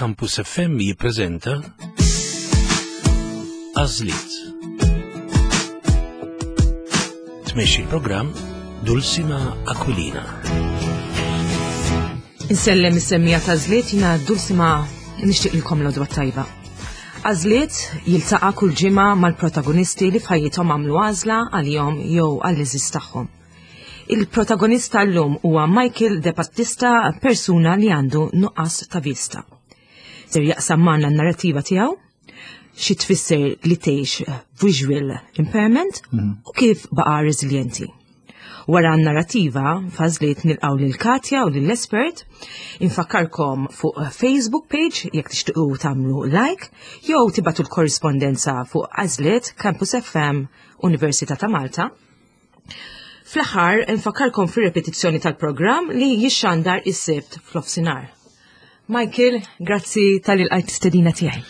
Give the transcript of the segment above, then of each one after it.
Campus FM jippreżenta Għażliet. Tmexxi l-programm Dulcima Aquilina. Insellem is-semmija ta' żliet jina Dulcima nixtieqilkom l-odwa tajba. Għażliet jiltaqa' kull ġimgħa mal-protagonisti li f'ħajjithom għamlu għażla għalihom jew għall-iżis tagħhom. Il-protagonista llum huwa Michael De Battista, persuna li għandu nuqqas ta' vista. Ser jaqsam magħna n-narrativa tiegħu, xi tfisser li tgħix visual impairment u kif baqa' reżiljenti. Wara n-narrativa, f'għażliet nilqgħu lil Katja u lill-espert, infakkarkom fuq Facebook page jekk tixtiequ tagħmlu like jew tibatu l-korrispondenza fuq Għażliet Campus FM Università ta' Malta. Fl-aħħar infakkarkom fir-repetizzjoni tal-programm li jixxandar is-Sibt fl-ofsinhar. Michael, grazzi tal lqajt stedina tiegħi.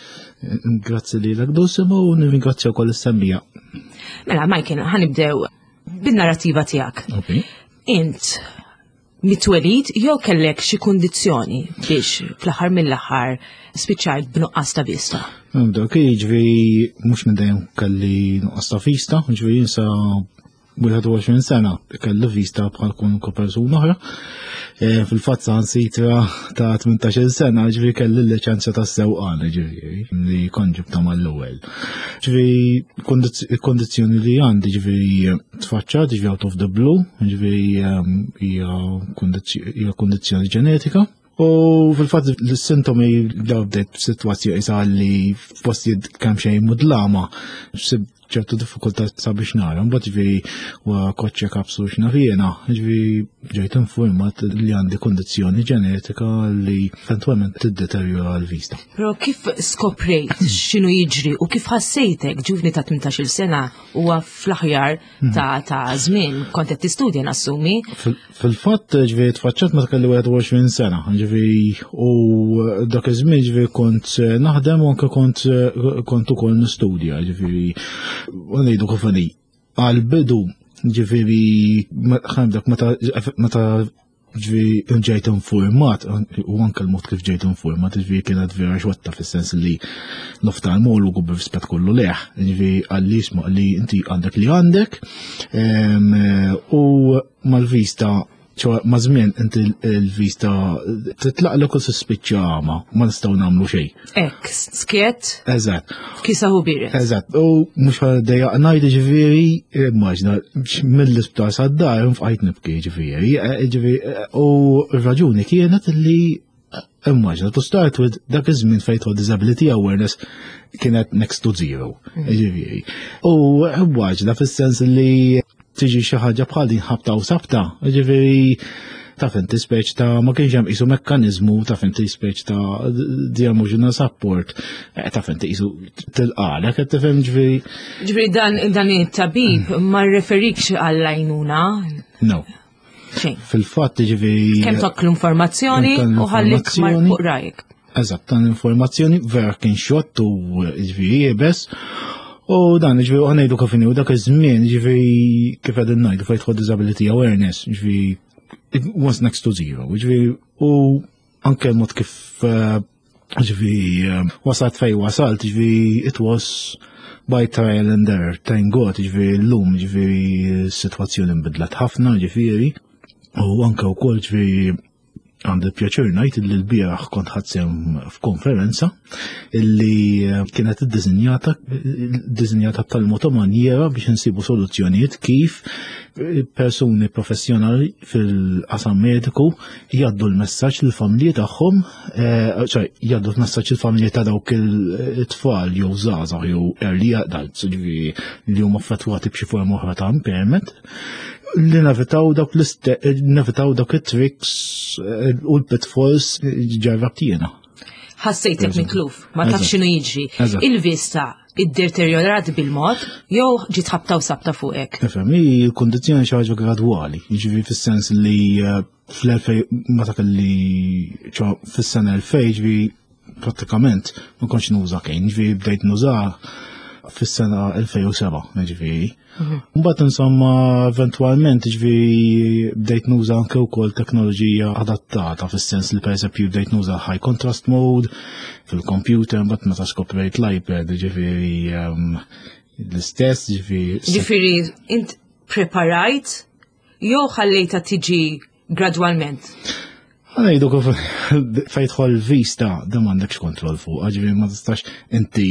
Grazzi li l-għak u nirringrazzja wkoll is-semmija. Mela, Michael, ħanibdew bin-narrativa tiegħek. Int mitwelid jew kellek xi kundizzjoni biex fl-aħħar mill-aħħar spiċċajt b'nuqqas ta' vista? Dak jiġri mhux minn dejjem kelli nuqqas ta' vista, jiġri jinsa 21 sena kelli vista bħal kwalunkwe persuna oħra. E, fil-fatt sitra ta' 18 sena ġifieri kelli l-liċenzja ta' sewqan ġifieri li kont ġibta mal-ewwel. Ġifieri il-kondizzjoni li għandi ġifieri tfaċċat ġifieri out of the blue, ġifieri ehm, hija kondizzjoni ġenetika. U fil-fatt l-sintomi daw bdejt b'sitwazzjoni isa li f'postijiet kemm xejn mudlama, ċertu diffikultà sabiex nara. Mbagħad ġifieri wa koċċe kapsu x'naf jiena, ġifieri ġejt informat li għandi kondizzjoni ġenetika li eventwalment tiddeterjora l-vista. Però kif skoprejt x'inhu jiġri u kif ħassejtek ġuvni ta' 18-il sena huwa fl-aħjar mhm. ta' ta' żmien kont qed tistudja nassumi. Fil-fatt, ġviri, tfaċċat meta kelli 21 sena, ġviri, u dak iż-żmien ġviri kont naħdem u anke kont kont ukoll nistudja, ġviri, u ngħidu kif għal-bidu, ġviri, ħandek meta ġviri ġejt informat, u anke l-mod kif ġejt informat, ġviri kienet vera xotta fis-sens li l-oftalmologu b'rispett kollu leħ, ġviri għalli isma' li inti għandek li għandek, u mal-vista ċoħ ma' żmien inti l-vista titlaq l u tispiċċa għama, ma nistgħu nagħmlu xejn. Ek, skiet. Eżatt. Kisa hu biret. Eżatt. U mhux ħaddejja ngħid ġifieri, immaġna mill-isptar sad-dar nfqajt nibki ġifieri, eh, ġifieri eh, u r-raġuni kienet li eh, immaġna to start with dak iż-żmien fejn disability awareness kienet next to zero. Mm. Ġifieri. U immaġna fis-sens li tiġi xi ħaġa bħal din ħabta u sabta, ġifieri taf inti speċ ta' ma kienx hemm qisu mekkaniżmu taf inti speċ ta' di emotional support, eh, taf inti qisu tilqalek qed tifhem ġifieri. Ġifieri dan dan it-tabib ma rreferikx għall-għajnuna? No. Fil-fatt ġifieri. Kemm tokk l-informazzjoni u ħallik mar fuq rajk. Eżatt, dan l-informazzjoni vera kien xott u ġifieri jebes. U dan ġifieri u ngħidu kif u dak iż-żmien ġifieri kif qegħdin ngħidu fejn tħodd disability awareness, ġifieri it was next to zero, ġifieri u anke l-mod kif eh, ġifieri eh, wasalt fej wasalt, ġifieri it was by trial and error, thank God, ġifieri l-lum, ġifieri s-sitwazzjoni nbidlet ħafna, ġifieri, u anke wkoll ġifieri Għandi pjaċir ngħid li l-bieraħ kont ħadsem f'konferenza illi eh, kienet iddisinjata iddisinjata b'tal-mod manjera biex insibu soluzzjonijiet kif eh, persuni professjonali fil-qasam mediku jgħaddu l-messaġġ lill-familji tagħhom, eh, sorry, jgħaddu l-messaġġ lill-familji ta' dawk it-tfal jew żgħażagħ jew early adults, ġifieri li huma affettwati b'xi forma oħra ta' impairment li nevitaw dawk nevitaw dawk it-tricks eh, u l-pitfalls ġarrabt jiena. Ħassejtek mitluf, ma taf x'inhu jiġri. Il-vista iddeterjorat bil-mod jew ġiet ħabta u sabta fuqek. Ifhem, hi l-kundizzjoni xi ħaġa gradwali, jiġifieri fis-sens li eh, fl-2000 meta kelli fis-sena 2000 ġifieri prattikament ma kontx nuża kejn, ġifieri bdejt nuża. fis-sena 2007, ġifieri. Mbagħad insomma eventwalment ġifieri bdejt nuża anke wkoll teknoloġija adattata fis-sens li pereżempju bdejt nuża high contrast mode fil-computer mbagħad meta skoprejt l-iPad ġifieri ehm, l-istess ġifieri. Ġifieri int preparajt jew ħallejta tiġi gradwalment? Għajdu kif fejtħol vista, da m'għandekx kontroll fuq, ġifieri ma tistax inti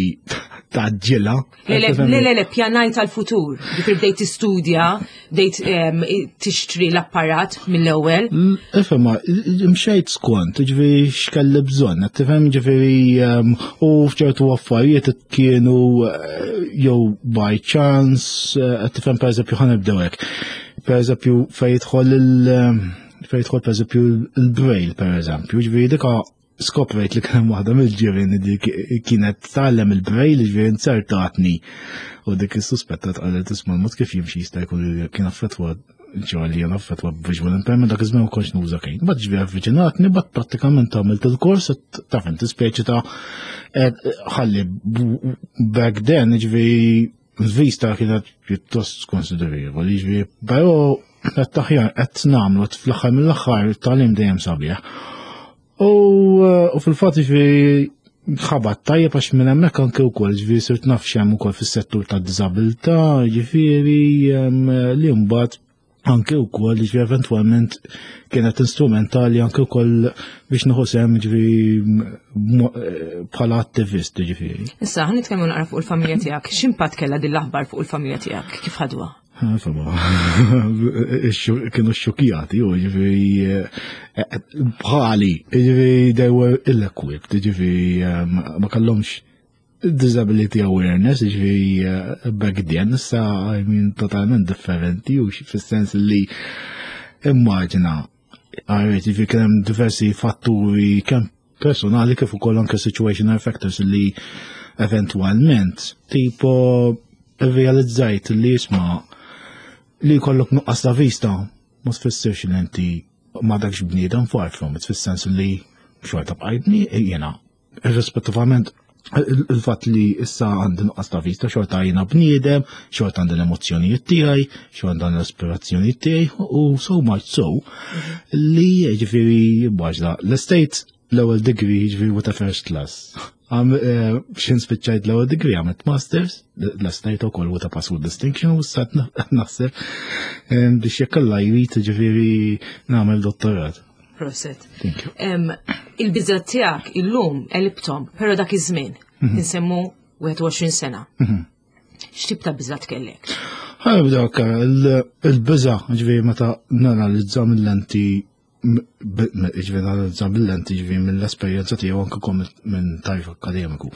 taġġilha. Le, le, le, le, pjanajt għal-futur. Ġifieri bdejt tistudja, bdejt tixtri l-apparat mill-ewwel. Ifhem, mxejt skont, ġifieri x'kelli bżonn, qed tifhem ġifieri u f'ċertu affarijiet kienu eh, jew by chance, eh, qed tifhem pereżempju ħanibdew hekk. Pereżempju fejn jidħol il- Fejn jidħol pereżempju il-braille pereżempju, ġifieri dika skoprejt li kien waħda mill-ġirien li kienet tgħallem il-braille, ġifieri inzertatni. U dik is-suspettat qalet isma' l-mod kif jimxi jista' jkun li kien affettwa ġo li jien affettwa visual impairment dak iż-żmien ma kontx nuża kejn. Bad ġifieri avviċinatni, bad prattikament għamilt il-kors taf inti speċi ta' ħalli back then ġifieri Il-vista kienet pjuttost konsiderevoli, ġifieri, però qed aħjar qed nagħmlu fl-aħħar mill-aħħar it-tagħlim dejjem sabiħ. U eh, fil-fatt ġifieri ħabat tajjeb għax minn hemmhekk anke wkoll ġifieri sirt naf x'hemm ukoll fis-settur tad-diżabilità, ġifieri li mbagħad anke wkoll ġifieri eventwalment kienet instrumentali anke wkoll biex nieħu sehem ġifieri eh, bħala attivist ġifieri. Issa ħa nitkellmu naqra fuq il-familja tiegħek. X'impatt kellha din l-aħbar fuq il-familja tiegħek? Kif ħadwa? Insomma, kienu xokjati, u ġifieri eh, bħali, ġifieri they were ill-equipped, ġifieri eh, ma kellhomx disability awareness, ġifieri eh, back then, issa I mean totalment differenti, u fis-sens li immaġina, għarret, ġifieri kien hemm diversi fatturi kemm personali kif ukoll anke situational factors li eventwalment tipo realizzajt li jisma' li jkollok nuqqas ta' vista ma tfissirx li inti ma dakx bniedem far from it fis-sens li xorta bqajtni jiena irrispettivament il-fatt li issa għandi nuqqas ta' vista xorta jiena bniedem, xorta għandi l-emozzjonijiet tiegħi, xorta għandi l-aspirazzjonijiet tiegħi u so much so li ġifieri baġla l-estate l-ewwel degree ġifieri with a first class. Eh, xin spiċċajt l-ewwel degree għamilt masters, l-estate ukoll with a pass with distinction u sat naħseb eh, biex jekk alla jrid ġifieri nagħmel dottorat. Proset. Il-biża tiegħek illum elibtom, però dak iż-żmien, mhm. insemmu 21 sena. Mhm. X'tip ta' biża tkellek? Ħanibda il-biża, ġifieri meta nanalizza mill-lenti ġifieri nanalizza mill-lenti ġifieri mill-esperjenza tiegħu anke minn tarif akademiku.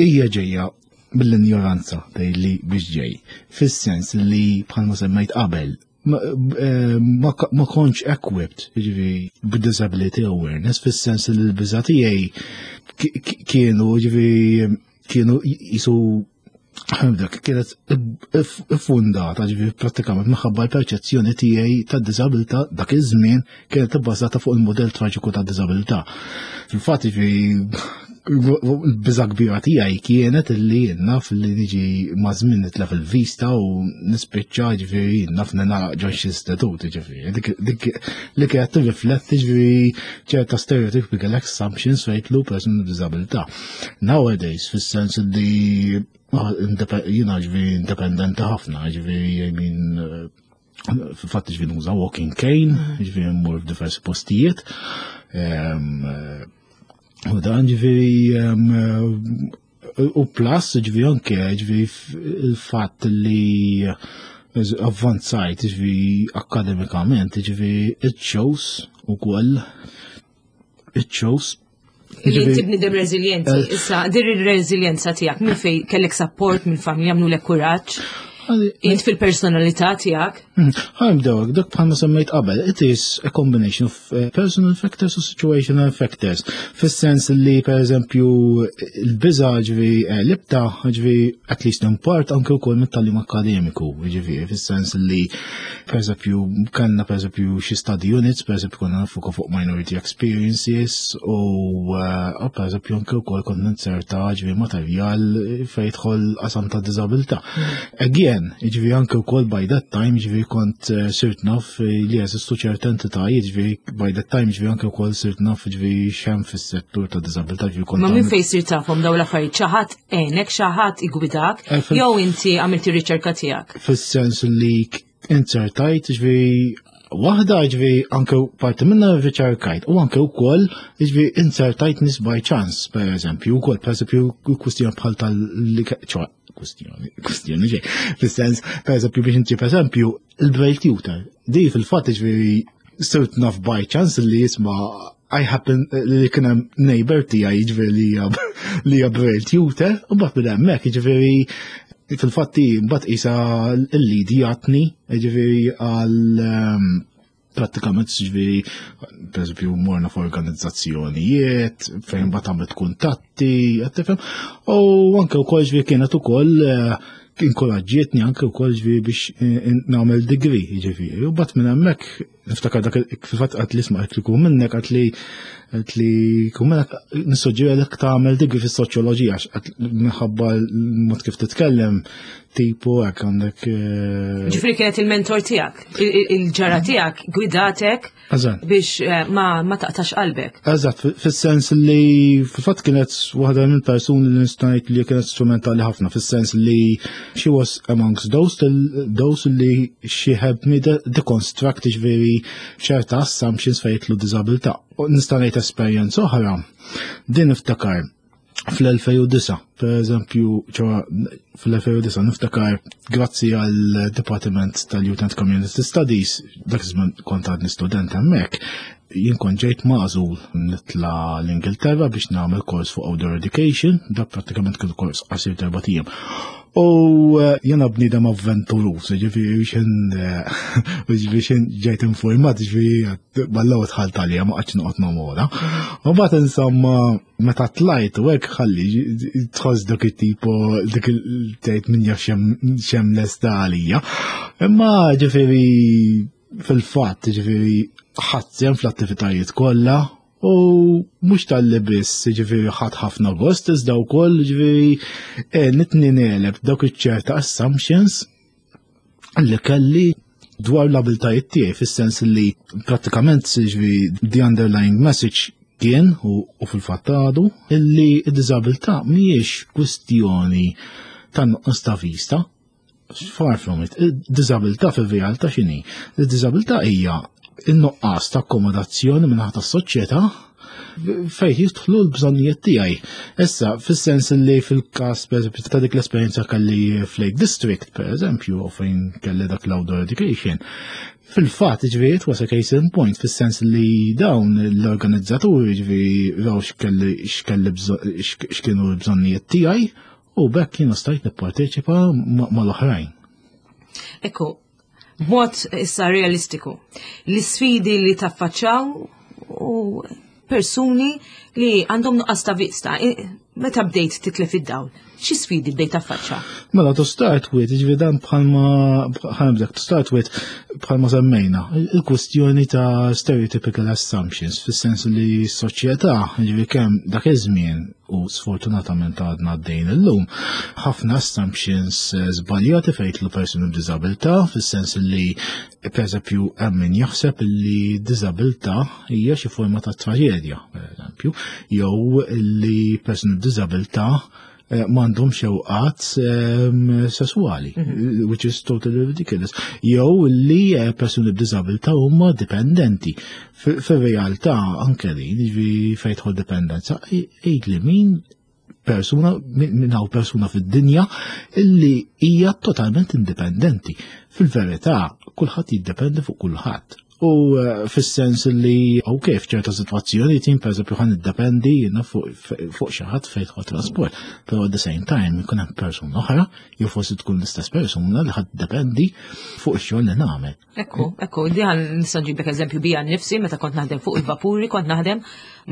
Hija ġejja mill-injoranza li biex ġej. Fis-sens li bħalma semmejt qabel, Eh, ma kontx equipped, ġivi, b'disability awareness, fis-sens li l-biża tiegħi kienu, ġivi, kienu jisu dak kienet iffundata ġivi prattikament minħabba l-perċezzjoni tiegħi ta' diżabilità dak iż-żmien kienet ibbażata fuq il-modell traġiku ta' diżabilità. Fil-fatt ġivi l-biża kbira tiegħi kienet li naf li niġi ma' żmien nitlef il-vista u nispiċċa ġifieri naf ningħalaq ġo xi istitut ġifieri. Dik li kienet tirrifletti ġifieri ċerta stereotypical assumptions fejn tlu person b'diżabilità. Nowadays fis-sens li ah, jiena ġifieri independenti ħafna, ġifieri I mean Fatt ġifieri nuża walking cane, ġifieri mmur f'diversi postijiet. Ehm, u dan ġifieri ehm, u plus ġifieri anke ġifieri il-fatt li avvanzajt ġifieri akademikament ġifieri it shows ukoll it shows Li inti bnidem reżiljenti, eh. issa dir il-reżiljenza tiegħek minn fej kellek support minn familja mnu lek kuraġġ. Int fil-personalità tiegħek. Ħa nibdew dak bħalma semmejt qabel, it is a combination of personal factors u situational factors. Fis-sens li per eżempju l-biża ġifieri libta ġifieri at least in part anke wkoll mit-tagħlim akademiku, ġifieri fis-sens li per eżempju kellna per eżempju xi study units, per eżempju konna nifuka fuq minority experiences u per eżempju anke wkoll konna nserta ġifieri materjal fejn jidħol qasam ta' diżabilità. Again, ġifieri anke wkoll by that time ġifieri kont sirt naf li jeżistu ċerta entitajiet, ġifieri by that time ġifieri anke wkoll sirt naf ġifieri x'hemm fis-settur ta' diżabilità, ġifieri kont Ma minn għamil fejn sirt tafhom dawn l-affarijiet? Xi ħadd għenek, xi ħadd igwidak, jew inti għamilti riċerka tiegħek? Fis-sens li insertajt ġifieri waħda ġifieri anke parti minna riċerkajt u anke wkoll ġifieri insertajt nies by chance, per eżempju, wkoll per eżempju kwistjoni bħal tal-li ċoħ, kwistjoni, kwistjoni ġej. Fis-sens, per eżempju, biex inti per eżempju, il-Braille tutor. Di fil-fatt ġifieri sirt naf by chance li jisma' I happen li kien hemm neighbor tiegħi ġifieri li hija Braille tutor, u mbagħad minn hemmhekk ġifieri fil-fatti mbagħad qisha l-lidi jagħtni ġifieri għal prattikament ġifieri per eżempju morna f'organizzazzjonijiet fejn mbagħad għamilt kuntatti, qed tifhem, u anke wkoll ġifieri kienet ukoll inkoraġġietni anke wkoll ġifieri biex nagħmel degree ġifieri. U mbagħad minn hemmhekk niftakar dak fil-fatt qatt li sma' qed li kun minnek qatt li qed li kun minnek nissuġġerek tagħmel degree fis-soċjoloġija għax qatt minħabba l-mod kif titkellem tipo hekk għandek. Ġifieri kienet il-mentor tiegħek, il-ġara tiegħek gwidatek biex ma taqtax qalbek. Eżatt, fis-sens li fil-fatt kienet waħda minn persuni li nista' ngħid li kienet strumentali ħafna, fis-sens li she was amongst those li she helped me deconstruct ġifieri ċerta assumptions fejn jidħlu diżabilità. U nista' ngħid esperjenza oħra, din niftakar fl-2009, per eżempju, ċoħa fl-2009 niftakar grazzi għal Department tal-Youth and Community Studies, dak iż-żmien kont għadni student hemmhekk, jien kont ġejt magħżul nitla l-Ingilterra biex nagħmel kors fuq outdoor education, dak prattikament kien kors qasir erba' ijiem. U jiena bniedem avventuruż, ġifieri ġifieri xejn ġejt informat, ġifieri ballaw dħalt għalija ma qgħadx noqgħod nomora. U mbagħad insomma meta tlajt u hekk ħalli tħoss dak it-tipo dik il-tgħid min jaf xem lesta għalija. Imma ġifieri fil-fatt ġifieri ħadt sehem fl-attivitajiet kollha u mhux tal-li biss ġifieri ħadd ħafna gost iżda wkoll ġifieri nitni negħleb dawk iċ-ċerta assumptions li kelli dwar l-abiltajiet tiegħi, fis-sens li prattikament ġifieri the underlying message kien u fil-fatt għadu illi d-diżabilità mhijiex kwistjoni ta' nuqqas ta' vista. Far from it. Id-diżabilità fil-realtà x'inhi? Id-diżabilità hija in-nuqqas ta' akkomodazzjoni minn naħa tas-soċjetà fejn jidħlu l-bżonnijiet tiegħi. Issa, fis-sens li fil-każ per eżempju ta' dik l-esperjenza kelli f'Lake District, per eżempju, u fejn kelli dak l-outdoor education, fil-fatt, ġifieri, it was a case in point, fis-sens li dawn l-organizzaturi, ġifieri, raw x'kienu l-bżonnijiet tiegħi, u b'hekk jiena stajt nipparteċipa mal-oħrajn. Ekku, b'mod issa realistiku, l-isfidi li taffaċċaw u persuni li għandhom nuqqas ta' vista, meta bdejt titlef id-dawl, xi sfidi bdejt taffaċċa? Mela, to start with, ġifieri dan bħalma, bħalma to start with, bħalma semmejna, il-kwestjoni ta' stereotypical assumptions, fis-sens li s-soċjetà, ġifieri kemm dak iż-żmien u sfortunatament għadna għaddejn illum, ħafna assumptions żbaljati fejn jidħlu persuni b'diżabilità, fis-sens li per eżempju hemm min jaħseb li diżabilità hija xi forma ta' traġedja, per eżempju, jew li persuni b'diżabilità m'għandhom xewqat sesswali, which is totally ridiculous. Jew li persuni b'diżabilità huma dipendenti. Fir-realtà anke li, ġifieri fejn tidħol dipendenza, għid li min persuna, min hawn persuna fid-dinja illi hija totalment indipendenti. Fil-verità, kulħadd jiddependi fuq kulħadd. U eh, fis-sens li ok, f'ċerta sitwazzjoni tim pereżempju ħan iddependi jiena fuq xi ħadd fejn tħodd trasport, però at the same time ikun hemm persuna oħra, jew forsi tkun l-istess persuna li ħadd dependi fuq ix-xogħol li nagħmel. Ekku, ekku, di għan nista' nġibek eżempju bija nnifsi meta kont naħdem fuq il-vapuri, kont naħdem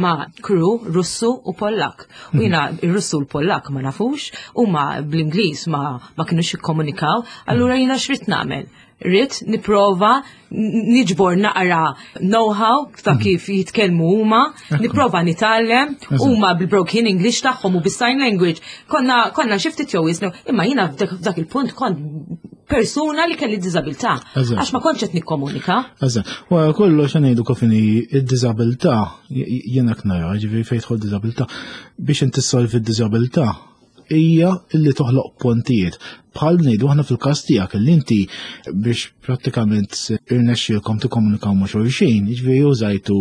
ma' crew Russu u Pollak. U jiena ir-Russu u l-Pollak ma nafux, huma bl-Ingliż ma ma kinux jikkomunikaw, allura jiena x'rid nagħmel? Rrid nipprova niġbor naqra know-how ta' mhm. kif jitkellmu huma, nipprova nitgħallem huma bil-broken English tagħhom u bis-sign language. Konna konna xi ftit jew imma jiena f'dak il-punt kont persuna li kelli diżabilità. Għax ma kontx qed nikkomunika. Eżatt. Wara kollox ngħidu kif inhi id-diżabilità jiena knara, ġifieri fejn tidħol diżabilità biex inti ssolvi d-diżabilità hija li toħloq pontijiet. Bħal ngħidu aħna fil-każ tiegħek li inti biex prattikament irnexxielkom tikkomunikaw ma' xulxin, jiġifieri użajtu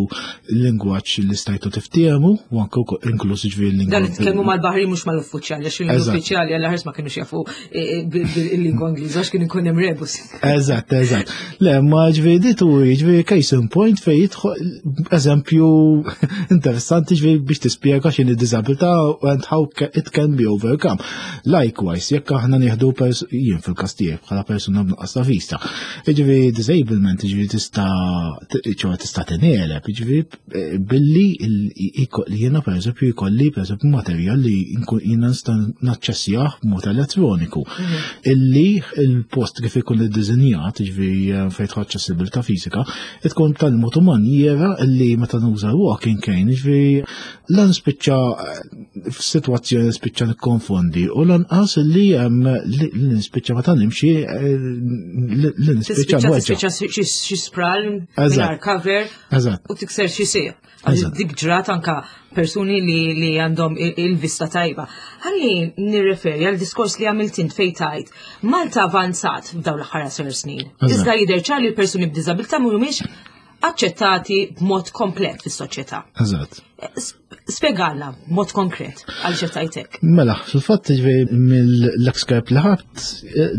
lingwaġġ li stajtu tiftiehmu u anke inkluż jiġifieri lingwa. Dan nitkellmu mal-baħri mhux mal-uffiċjali, għax l-uffiċjali għal ħares ma kinux jafu e, e, bil-lingwa Ingliża għax kien ikun hemm rebus. Eżatt, eżatt. Le, ma ġifieri di turi, ġifieri case in point fejn jidħol eżempju interessanti ġifieri biex tispjega x'inhi diżabilità and how it can be overcome. Likewise, jekk aħna nieħdu jien fil-każ tiegħek bħala persuna b'nuqqas ta' vista. Jiġifieri disablement jiġifieri tista' ċoħ tista' tineleb, jiġifieri eh, billi jiena pereżempju jkolli pereżempju materjal li jiena nista' naċċessjah b'mod elettroniku. Mhm. Illi il-post kif ikun iddiżinjat, jiġifieri eh, fejn tħodd aċċessibilità fiżika, tkun tal-mod manjera illi meta nuża walking cane, jiġifieri lan spiċċa f'sitwazzjoni spiċċa nikkonfondi u lanqas li hemm li nispiċċa meta nimxi eh, li nispiċċa nweġġa. Tispiċċa xi spral mingħajr cover u tikser xi sieq. Dik ġrat anka persuni li għandhom il-vista tajba. Ħalli nirreferi għal diskors li għamilt int fejn tajt. Malta avanzat f'dawn l-aħħar snin. Iżda jidher ċar li l-persuni b'diżabilità mhumiex aċċettati b'mod komplet fis-soċjetà. Eżatt. Spjegalna b'mod konkret għal xi Mela, fil-fatt ġifieri mill-excerpt li ħadd eh,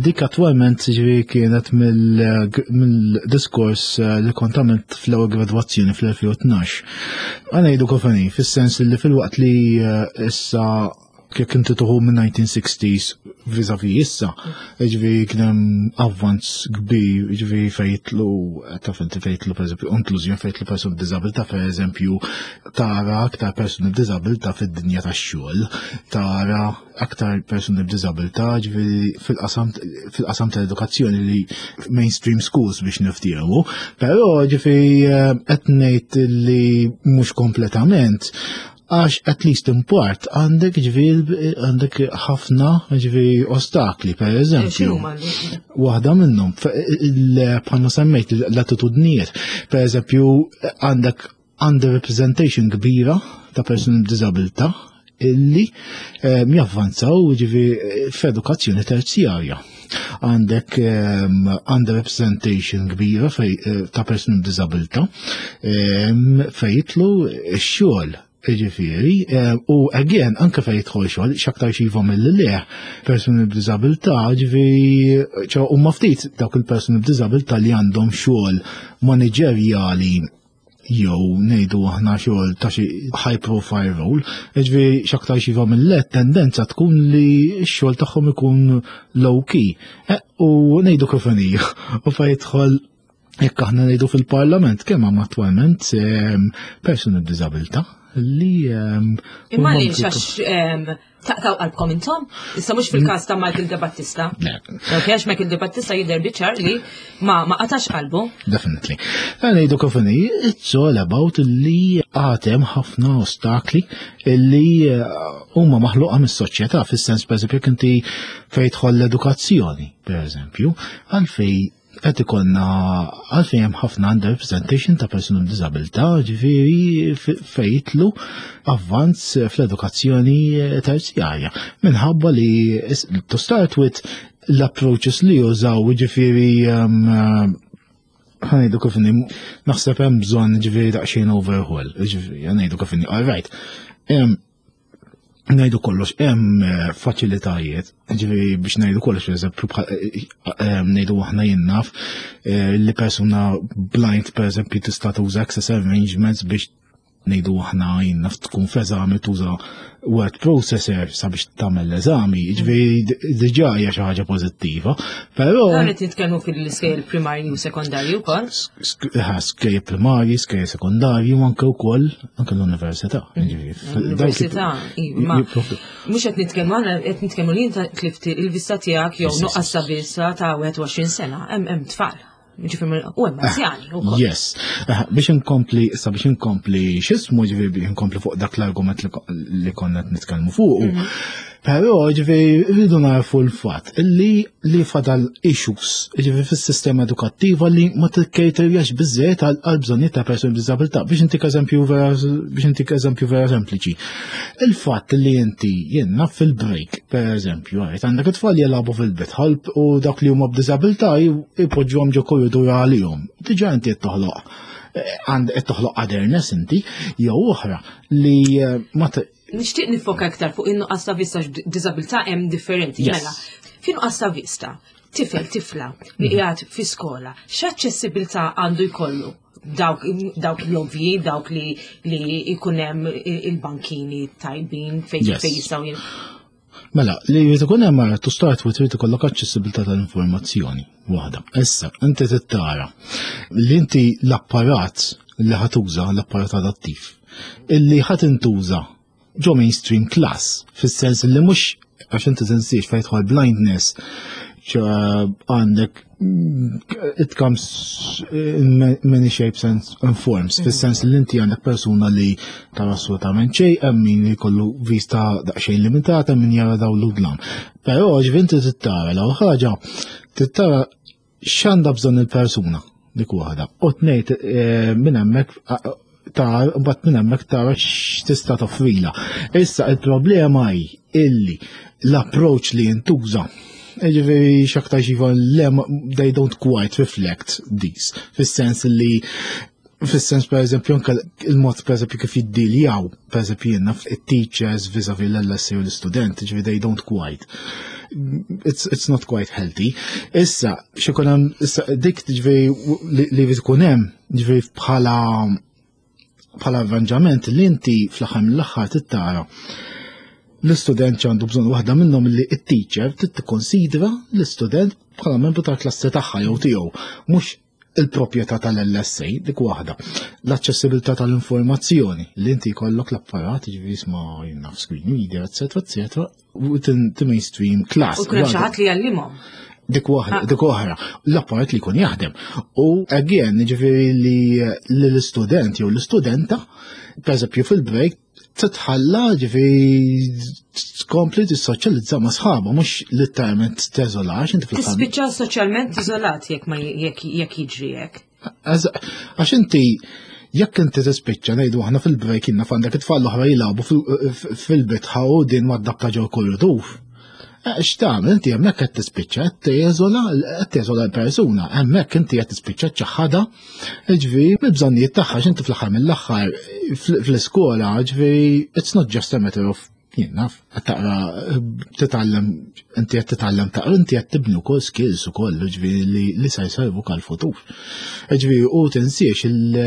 dik attwalment ġifieri kienet mill-diskors eh, li kont għamilt fl-ewwel gradwazzjoni fl-2012. Għana jgħidu kofani, fis-sens li fil-waqt li eh, issa kif inti tuħu minn 1960s vis-a-vis issa, ġifieri kien hemm avvanz kbir, ġifieri fejtlu, taf inti fejtlu pereżempju inklużjoni fejtlu persuni b'diżabilità pereżempju tara aktar persuni b'diżabilità fid-dinja tax-xogħol, tara aktar persuni b'diżabilità ġifieri fil-qasam fil-qasam tal-edukazzjoni li mainstream schools biex niftiehmu, però ġifieri eh, qed ngħid li mhux kompletament Għax at least in part għandek ġviri għandek ħafna ġviri ostakli, per eh, eżempju. Waħda minnhom, bħalma semmejt l-attitudnijiet. Per eżempju, għandek underrepresentation kbira ta' persuni b'diżabilità illi eh, javvanzaw ġifi f'edukazzjoni terzjarja. Għandek ehm, underrepresentation kbira eh, ta' persuni b'diżabilità ehm, fejn jitlu x-xogħol Ġifieri, eh, u again, anke fejn jidħol xogħol, x'aktar xiva mill le, persuni b'diżabilità, ġifieri, ċo huma ftit dawk il-persuni b'diżabilità li għandhom xogħol maniġerjali jew ngħidu aħna xogħol ta' xi high profile role, jiġifieri x'aktar xi mill tendenza tkun li x-xogħol tagħhom ikun low key. E, u ngħidu kif inhi, u fejn jidħol jekk aħna ngħidu fil-parlament kemm hemm attwalment ehm, persuni b'diżabilità li ehm, Imma għaliex għax ehm, Taqtaw qalbkom intom? Issa mhux fil-każ ta' Michael De Battista. Ok, għax Michael De Battista jidher biċar li ma ma qatax qalbu. Definitely. Għana jgħidu kif it's all about li għatem ħafna ostakli li eh, huma maħluqa mis-soċjetà fis-sens pereżempju jekk inti fejn tħoll l-edukazzjoni, pereżempju, għalfej qed ikollna għalfejn hemm ħafna underrepresentation ta' persuni b'diżabilità, ġifieri fejn jitlu avvanz fl-edukazzjoni terzjarja. Minħabba li to start with l-approaches li jużaw ġifieri ehm, ħanejdu kif naħseb hemm bżonn ġifieri daqsxejn overhaul, ġifieri ħanejdu kif all right. Ehm, Ngħidu kollox hemm eh, faċilitajiet, ġifieri biex ngħidu kollox pereżempju eh, eh, ngħidu aħna jien naf li persuna blind pereżempju tista' tuża access arrangements biex ngħidu aħna jien naf tkun f'eżami tuża word processor sabiex tagħmel l-eżami, jiġifieri diġà hija xi ħaġa pożittiva, però Dan qed nitkellmu fil-iskejjel primarji u sekondarji wkoll. Skejjel primarji, skejjel sekondarji u anke wkoll anke l-università. Mm. L-università, ma mhux qed nitkellmu aħna qed nitkellmu li inta tlift il-vista tiegħek jew nuqqas ta' vista ta' 21 sena, hemm tfal. Ġifieri u hemm anzjani wkoll. Yes. Eh, biex inkompli, sa biex inkompli x'ismu ġifieri biex inkompli fuq dak l-argument li konna qed nitkellmu fuq. Mhm. Però ġifieri rridu narfu l-fatt li li fadal issues ġifieri fis-sistema edukattiva li ma tikkejterjax biżżejjed għal bżonnijiet ta' persuni b'diżabilità biex intik eżempju vera biex intik eżempju vera sempliċi. Il-fatt li inti jien naf fil-break, per eżempju, għajt għandek it-tfal jilagħbu fil-bitħa u dak li huma b'diżabilità jpoġġuhom ġo korridur għalihom. Diġà inti qed toħloq eh, għand qed toħloq otherness inti jew oħra li eh, ma Nixtieq nifoka iktar fuq in-nuqqas ta' vista diżabilità hemm differenti. Mela, fi nuqqas ta' vista, tifel tifla li mhm. qiegħed fi skola, x'aċċessibilità għandu jkollu? Dawk, dawk l-ovji, dawk li li jkun hemm il-bankini tajbin fejn fejn jistgħu Mela, li jrid ikun hemm mara to start with trid ikollok aċċessibilità tal-informazzjoni waħda. Issa, inti trid li inti l-apparat li ħatuża l-apparat adattiv, illi ħadd intuża ġo mainstream class, fis-sens li mhux għax inti tinsiex fejn jidħol blindness għandek it comes in many shapes and forms, mm. fis-sens li inti għandek persuna li tara assolutament xejn, hemm min jkollu vista daqsxejn limitata, min jara daw l-udlam. Però ġifieri inti tittara l ħaġa tittara x'għandha bżonn il-persuna dik waħda. U tnejt eh, minn hemmhekk ta' mbagħad minn hemmhekk tara x'tista' toffrila. Issa il-problema hi illi l-approach li jintuża Ġifieri x'aktar xiva le they don't quite reflect these. Fis-sens li fis-sens per eżempju anke il-mod per eżempju kif jiddiljaw, per eżempju jiena it-teachers vis-a-vis l-LSA u l-istudent, ġifieri they don't quite. It's, it's not quite healthy. Issa, xikun hemm, issa dik ġifieri li jkun hemm, ġifieri bħala bħala arranġament li inti fl-aħħar mill-aħħar tittara l-istudent għandu bżonn waħda minnhom li t-teacher trid tikkonsidra l-istudent bħala membru tal-klassi tagħha jew tiegħu, mhux il-proprjetà tal-LSA, dik waħda. L-aċċessibilità tal-informazzjoni li inti jkollok l-apparat, ġifieri isma' naf screen reader, eċetera, eċetera, u mainstream class. U kull xi ħadd li jgħallimhom. Dik waħda, ah. dik oħra, l-apparat li jkun jaħdem. U again, ġifieri li l-istudent jew l-istudenta, per eżempju fil-break, titħalla ġifieri tkompli tissoċjalizza ma' sħabha, mhux letteralment teżolax inti fil Tispiċċa soċjalment iżolat jekk ma jekk jiġri hekk. Għax inti jekk inti tispiċċa ngħidu aħna fil-break inna f'għandek it-tfal l-oħra jilagħbu fil-bitħa u din ma' ġew korridur. Eh, x'tagħmel inti hemmhekk qed tispiċċa qed teżola qed teżola l-persuna, hemmhekk inti qed tispiċċa ċaħħada ġifieri mill-bżonnijiet tagħha x'inti fl-aħħar mill-aħħar fl-iskola ġifieri it's not just a matter of jien naf, qed taqra titgħallem inti qed titgħallem taqra inti qed tibni wkoll skills ukoll ġifieri li, li se jservuk għall-futur. Ġifieri u tinsiex il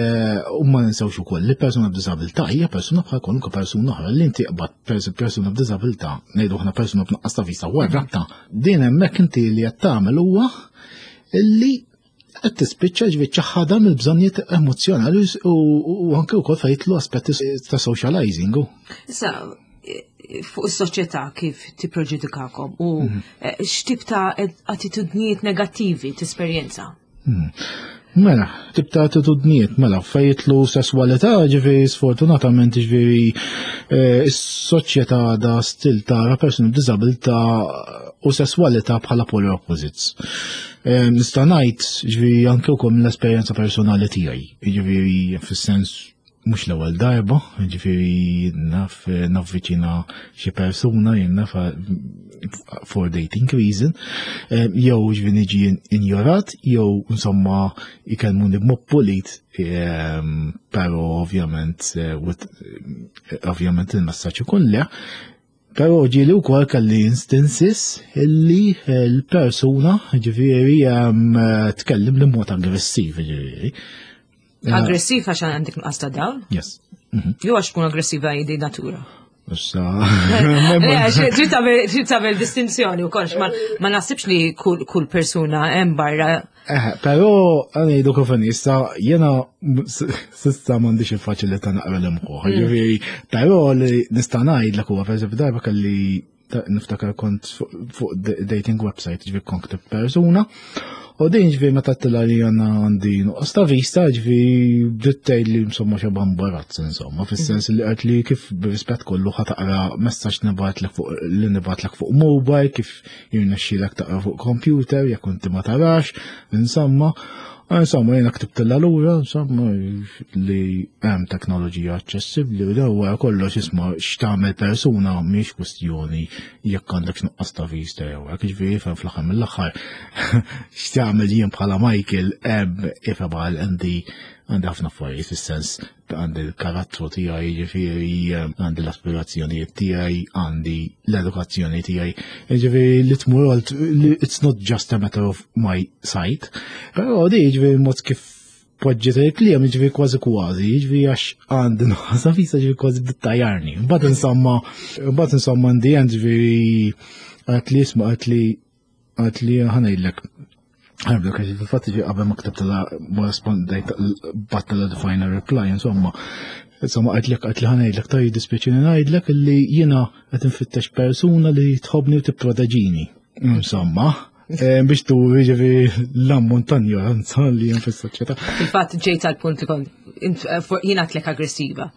u ma ninsewx ukoll li persuna b'diżabilità hija persuna bħal kwalunkwe persuna oħra li inti qbad persuna b'diżabilità, ngħidu aħna persuna b'nuqqas ta' vista warrabta, din hemmhekk inti li qed tagħmel huwa illi qed tispiċċa ġifieri ċaħħadha mill-bżonnijiet emozzjonali u anke wkoll fejn jidħlu aspetti ta' socializing. Issa, fuq is-soċjetà kif tipproġudikakom u mhm. eh, x'tip ta' attitudnijiet negattivi tesperjenza? Mhm. Mela, tip ta' attitudnijiet, mela, fejn jidħlu sesswalità, ġifieri sfortunatament ġifieri eh, is-soċjetà da stil tara persuni b'diżabilità u sesswalità bħala polar opposites. Eh, nista' ngħid ġifieri anke wkoll mill-esperjenza personali tiegħi, ġifieri fis-sens mhux l-ewwel darba, ġifieri naf navviċina xi persuna jien naf for dating reason, eh, jew ġifieri niġi injorat, jew insomma ikellmuni b'mod pulit, eh, però ovvjament eh, ovvjament il-messaġġ ikun le. Però ġieli wkoll kelli instances illi l-persuna ġifieri tkellim li mod aggressiv ġifieri. Aggressiv għax għandek nuqqas ta' dawl? Yes. Jew għax tkun aggressiva jidi natura. Issa. Trid tagħmel distinzjoni wkoll ma naħsibx li kull persuna hemm barra. Eh, però ngħidu kif issa jiena s'issa m'għandix il-faċilità naqra l-imħuħ. Ġifieri, però li nista' ngħidlek huwa pereżempju darba kelli niftakar kont fuq dating website ġifieri kont ktib persuna. U din ġifieri meta tila li għandna għandi nuqqas ta' vista ġifieri bdiet tgħid li insomma xi imbarazz insomma fis-sens li qed li kif b'rispett kollu ħa taqra messaġġ nibgħatlek fuq li nibgħatlek fuq mobile kif jirnexxielek taqra fuq computer jekk inti ma tarax, insomma. Insomma, jena ktibtilla lura, insomma, li hemm teknoloġija aċċessibbli u daw kollox isma' x'tagħmel persuna mhix kwistjoni jekk għandek nuqqas ta' vista jew hekk, ġifieri ifhem fl-aħħar mill-aħħar x'tagħmel jien bħala Michael hemm ifhem għal għandi għandi ħafna affarijiet fis-sens għandi l-karattru tiegħi, jiġifieri għandi l-aspirazzjonijiet tiegħi, għandi l-edukazzjoni tiegħi. Jiġifieri li tmur it's not just a matter of my sight. Però di jiġifieri mod kif poġġiet il-kliem jiġifieri kważi kważi, jiġifieri għax għandi nuqqas visa jiġifieri kważi bittajarni. Mbagħad insomma, mbagħad insomma għandi jiġifieri għat li isma' għat li Għat li ħanajlek, ħanibda għax fil-fatt ġi qabel ma ktibtela ma rispondejt battala the final reply, insomma. Insomma, għajtlek għajt li ħanajdlek ta' jiddispjaċini ngħidlek li jiena qed infittex persuna li tħobbni u tipproteġini. Insomma, eh, biex turi ġifi l-ammont ta' ignoranza li hemm fis-soċjetà. Fil-fatt ġejt għal punt li kont eh, jiena tlek aggressiva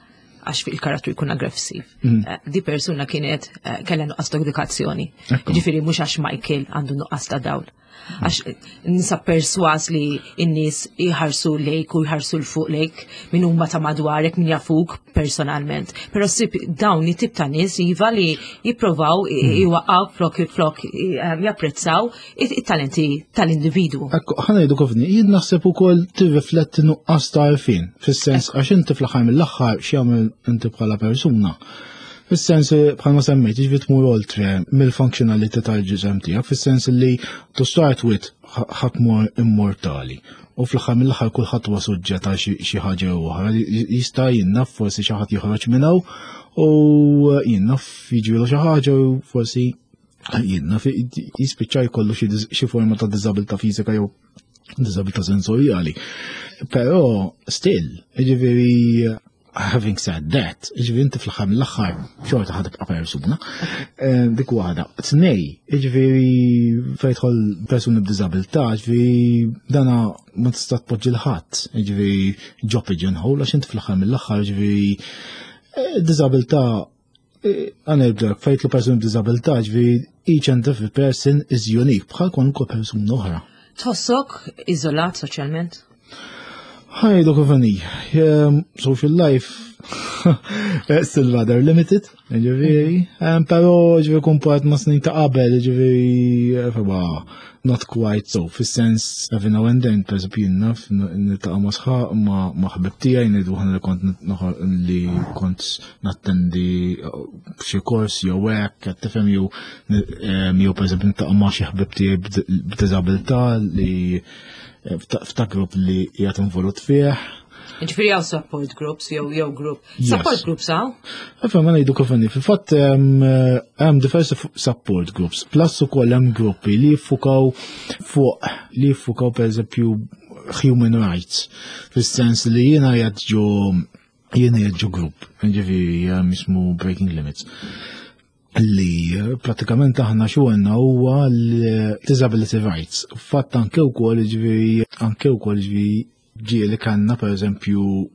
għax fil-karattru jkun aggressiv. Eh, di persuna kienet eh, kellha nuqqas ta' edukazzjoni. Ġifieri mhux għax Michael għandu nuqqas ta' dawl. Għax eh, nisa perswas li n-nies jħarsu lejk u jħarsu l-fuq lejk minn huma ta' madwarek min jafuk personalment. Però ssib dawn it-tip ta' nies iva li jipprovaw iwaqgħu flok flok japprezzaw it-talenti tal-individwu. Ekku, ħa ngħidu kofni, jien naħseb ukoll tirrifletti nuqqas ta' għarfien, fis-sens għax inti fl-aħħar mill-aħħar x'jagħmel inti bħala persuna. Fis-sens bħalma semmejt, jiġifieri tmur oltre mill-funzjonalità tal-ġisem tiegħek, fis-sens li to start with ħadd mhu immortali. U fl-aħħar mill-aħħar kulħadd huwa suġġett għal xi ħaġa jew oħra. Jista' jien naf forsi xi ħadd joħroġ minn hawn u jien naf jiġrilu xi ħaġa u forsi jien naf jispiċċa jkollu xi forma ta' diżabilità fiżika jew diżabilità sensorjali. Però still, jiġifieri having said that, jiġifieri inti fl-aħħar mill-aħħar xorta ħa tibqa' persuna. Eh, dik waħda. Tnej, jiġifieri fejn tidħol persuni b'diżabilità, jiġifieri dana ma tista' tpoġġi l-ħadd, jiġifieri ġo pigeonhole għax inti fl-aħħar mill-aħħar jiġifieri eh, diżabilità Għana jibda, fejt l persuni b'disabilità, ġvi each and every person is unique, bħal kwalunkwe persuna oħra. Tħossok iżolat soċjalment? Ħajdu kif social life still rather limited, ġifieri, però ġifieri kumparat ma' snin ta' qabel, ġifieri, not quite so, fis-sens every now and then, per eżempju, jien naf niltaqa' ma' sħaq ma' ħbib tiegħi ngħidu aħna li kont li kont nattendi eh, xi kors jew hekk, qed tifhem jew eh, jew pereżempju niltaqa' ma' xi ħbib tiegħi b'diżabilità li eh, f'ta' grupp li qiegħed involut fih. Ġifieri hawn support groups jew jew group. Support groups hawn? Ifhem ma ngħidu kif inhi. Fil-fatt hemm diversi support groups, plus ukoll hemm gruppi li jiffukaw fuq li jiffukaw pereżempju human rights, fis-sens li jiena qiegħed ġo jiena qiegħed ġo grupp, ġifieri jismu Breaking Limits li pratikament aħna xogħolna huwa l-disability rights. Fatt anke wkoll ġifieri anke wkoll ġifieri ġieli kellna pereżempju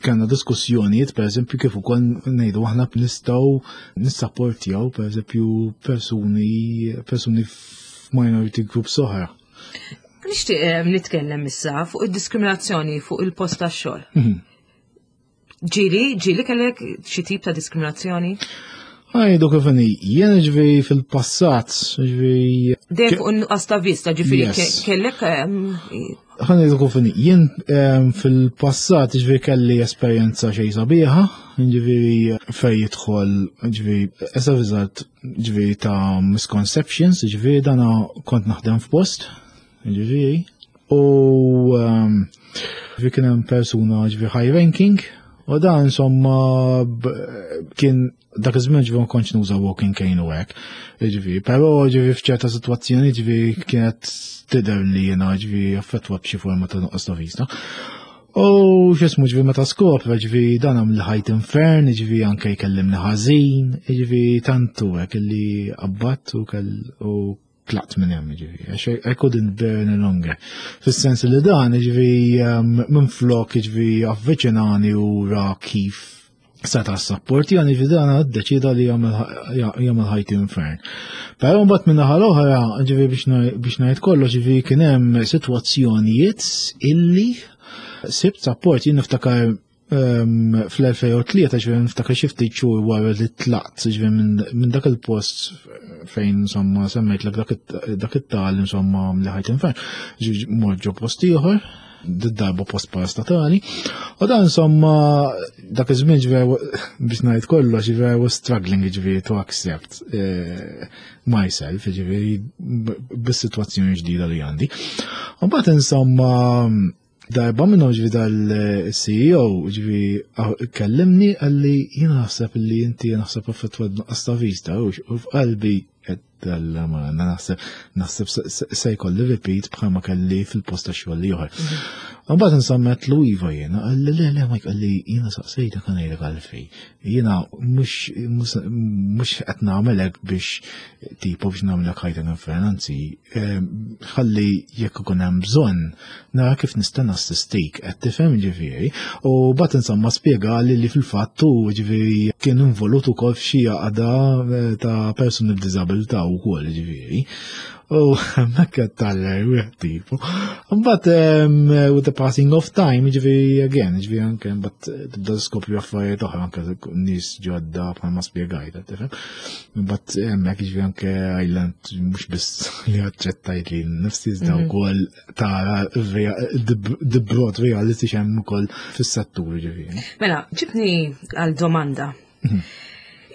kellna diskussjonijiet pereżempju kif ukoll ngħidu aħna nistgħu nissapportjaw pereżempju persuni persuni f'minority groups oħra. Nixtieq eh, nitkellem issa fuq id-diskriminazzjoni fuq il-post tax-xogħol. Ġieli, ġieli kellek xi tip ta' diskriminazzjoni? Għajdu kif inhi, jien ġifieri fil-passat, ġifieri. Dejjem fuq in-nuqqas ta' vista, ġifieri kellek. Ħanejdu kif inhi, jien fil-passat ġifieri kelli esperjenza xejn sabiħa, ġifieri fej jidħol, ġifieri as a result, ġifieri ta' misconceptions, ġifieri dana kont naħdem f'post, ġifieri, u ġifieri kien hemm persuna ġifieri high ranking, u dan insomma kien dak iż-żmien ġifieri ma kontx nuża walking cane u hekk. Ġifieri, però ġifieri f'ċerta sitwazzjoni ġifieri kienet tidher li jiena ġifieri affettwat b'xi forma ta' nuqqas ta' vista. U x'ismu ġifieri meta skopra ġifieri dan għamel ħajt infern, ġifieri anke jkellimni ħażin, ġifieri tantu hekk illi qabbadt u kell u tlaqt minn hemm ġifieri, għax I couldn't bear any longer. Fis-sens li dan ġifieri minn flok ġifieri avviċinani u ra kif seta' s-support jani ġifieri dan ddeċida li jagħmel ħajti infern. Però mbagħad minn naħa l-oħra ġifieri biex ngħid kollox ġifieri kien hemm sitwazzjonijiet illi sibt support jien niftakar fl-2003 ġifieri niftakar xi ftit xhur wara li tlaqt ġifieri minn dak il-post fejn insomma semmejtlek dak it-tal insomma li ħajt infern, ġifieri mort ġo post ieħor, darba post parastatali, u dan insomma dak iż-żmien ġifieri biex ngħid kollox ġifieri I was struggling ġifieri to accept myself ġifieri bis-sitwazzjoni ġdida li għandi. U mbagħad insomma darba minnhom ġifieri dal-CEO ġifieri kellimni qalli jiena naħseb li inti naħseb affettwat b'nuqqas ta' vista u f'qalbi qed dalla ma naħseb se jkolli repeat bħalma kelli fil-post ta' xogħol ieħor. Mbagħad insomma għedtlu iva jiena, qalli le le Mike qalli jiena saqsejtek ħa ngħidlek għalfejn. Jiena mhux qed nagħmel hekk biex tipo biex nagħmlek ħajtek infern, anzi ħalli jekk ikun hemm bżonn nara kif nista' nassistik, qed tifhem ġifieri. U bat insomma spjegali li fil-fatt hu ġifieri kien involut ukoll f'xi għaqda ta' persuni b'diżabilità wkoll ġifieri. U hemmhekk qed taller wieħed tipo. Mbagħad with the passing of time, ġifieri again, ġifieri anke mbagħad tibda tiskopri affarijiet oħra anke nies ġodda bħalma spjegajt, qed tifhem. Mbagħad hemmhekk ġifieri anke I learned mhux biss li aċċettajt li nnifsi iżda wkoll tara the broad reality x'hemm ukoll fis-settur ġifieri. Mela, ġibni għal domanda.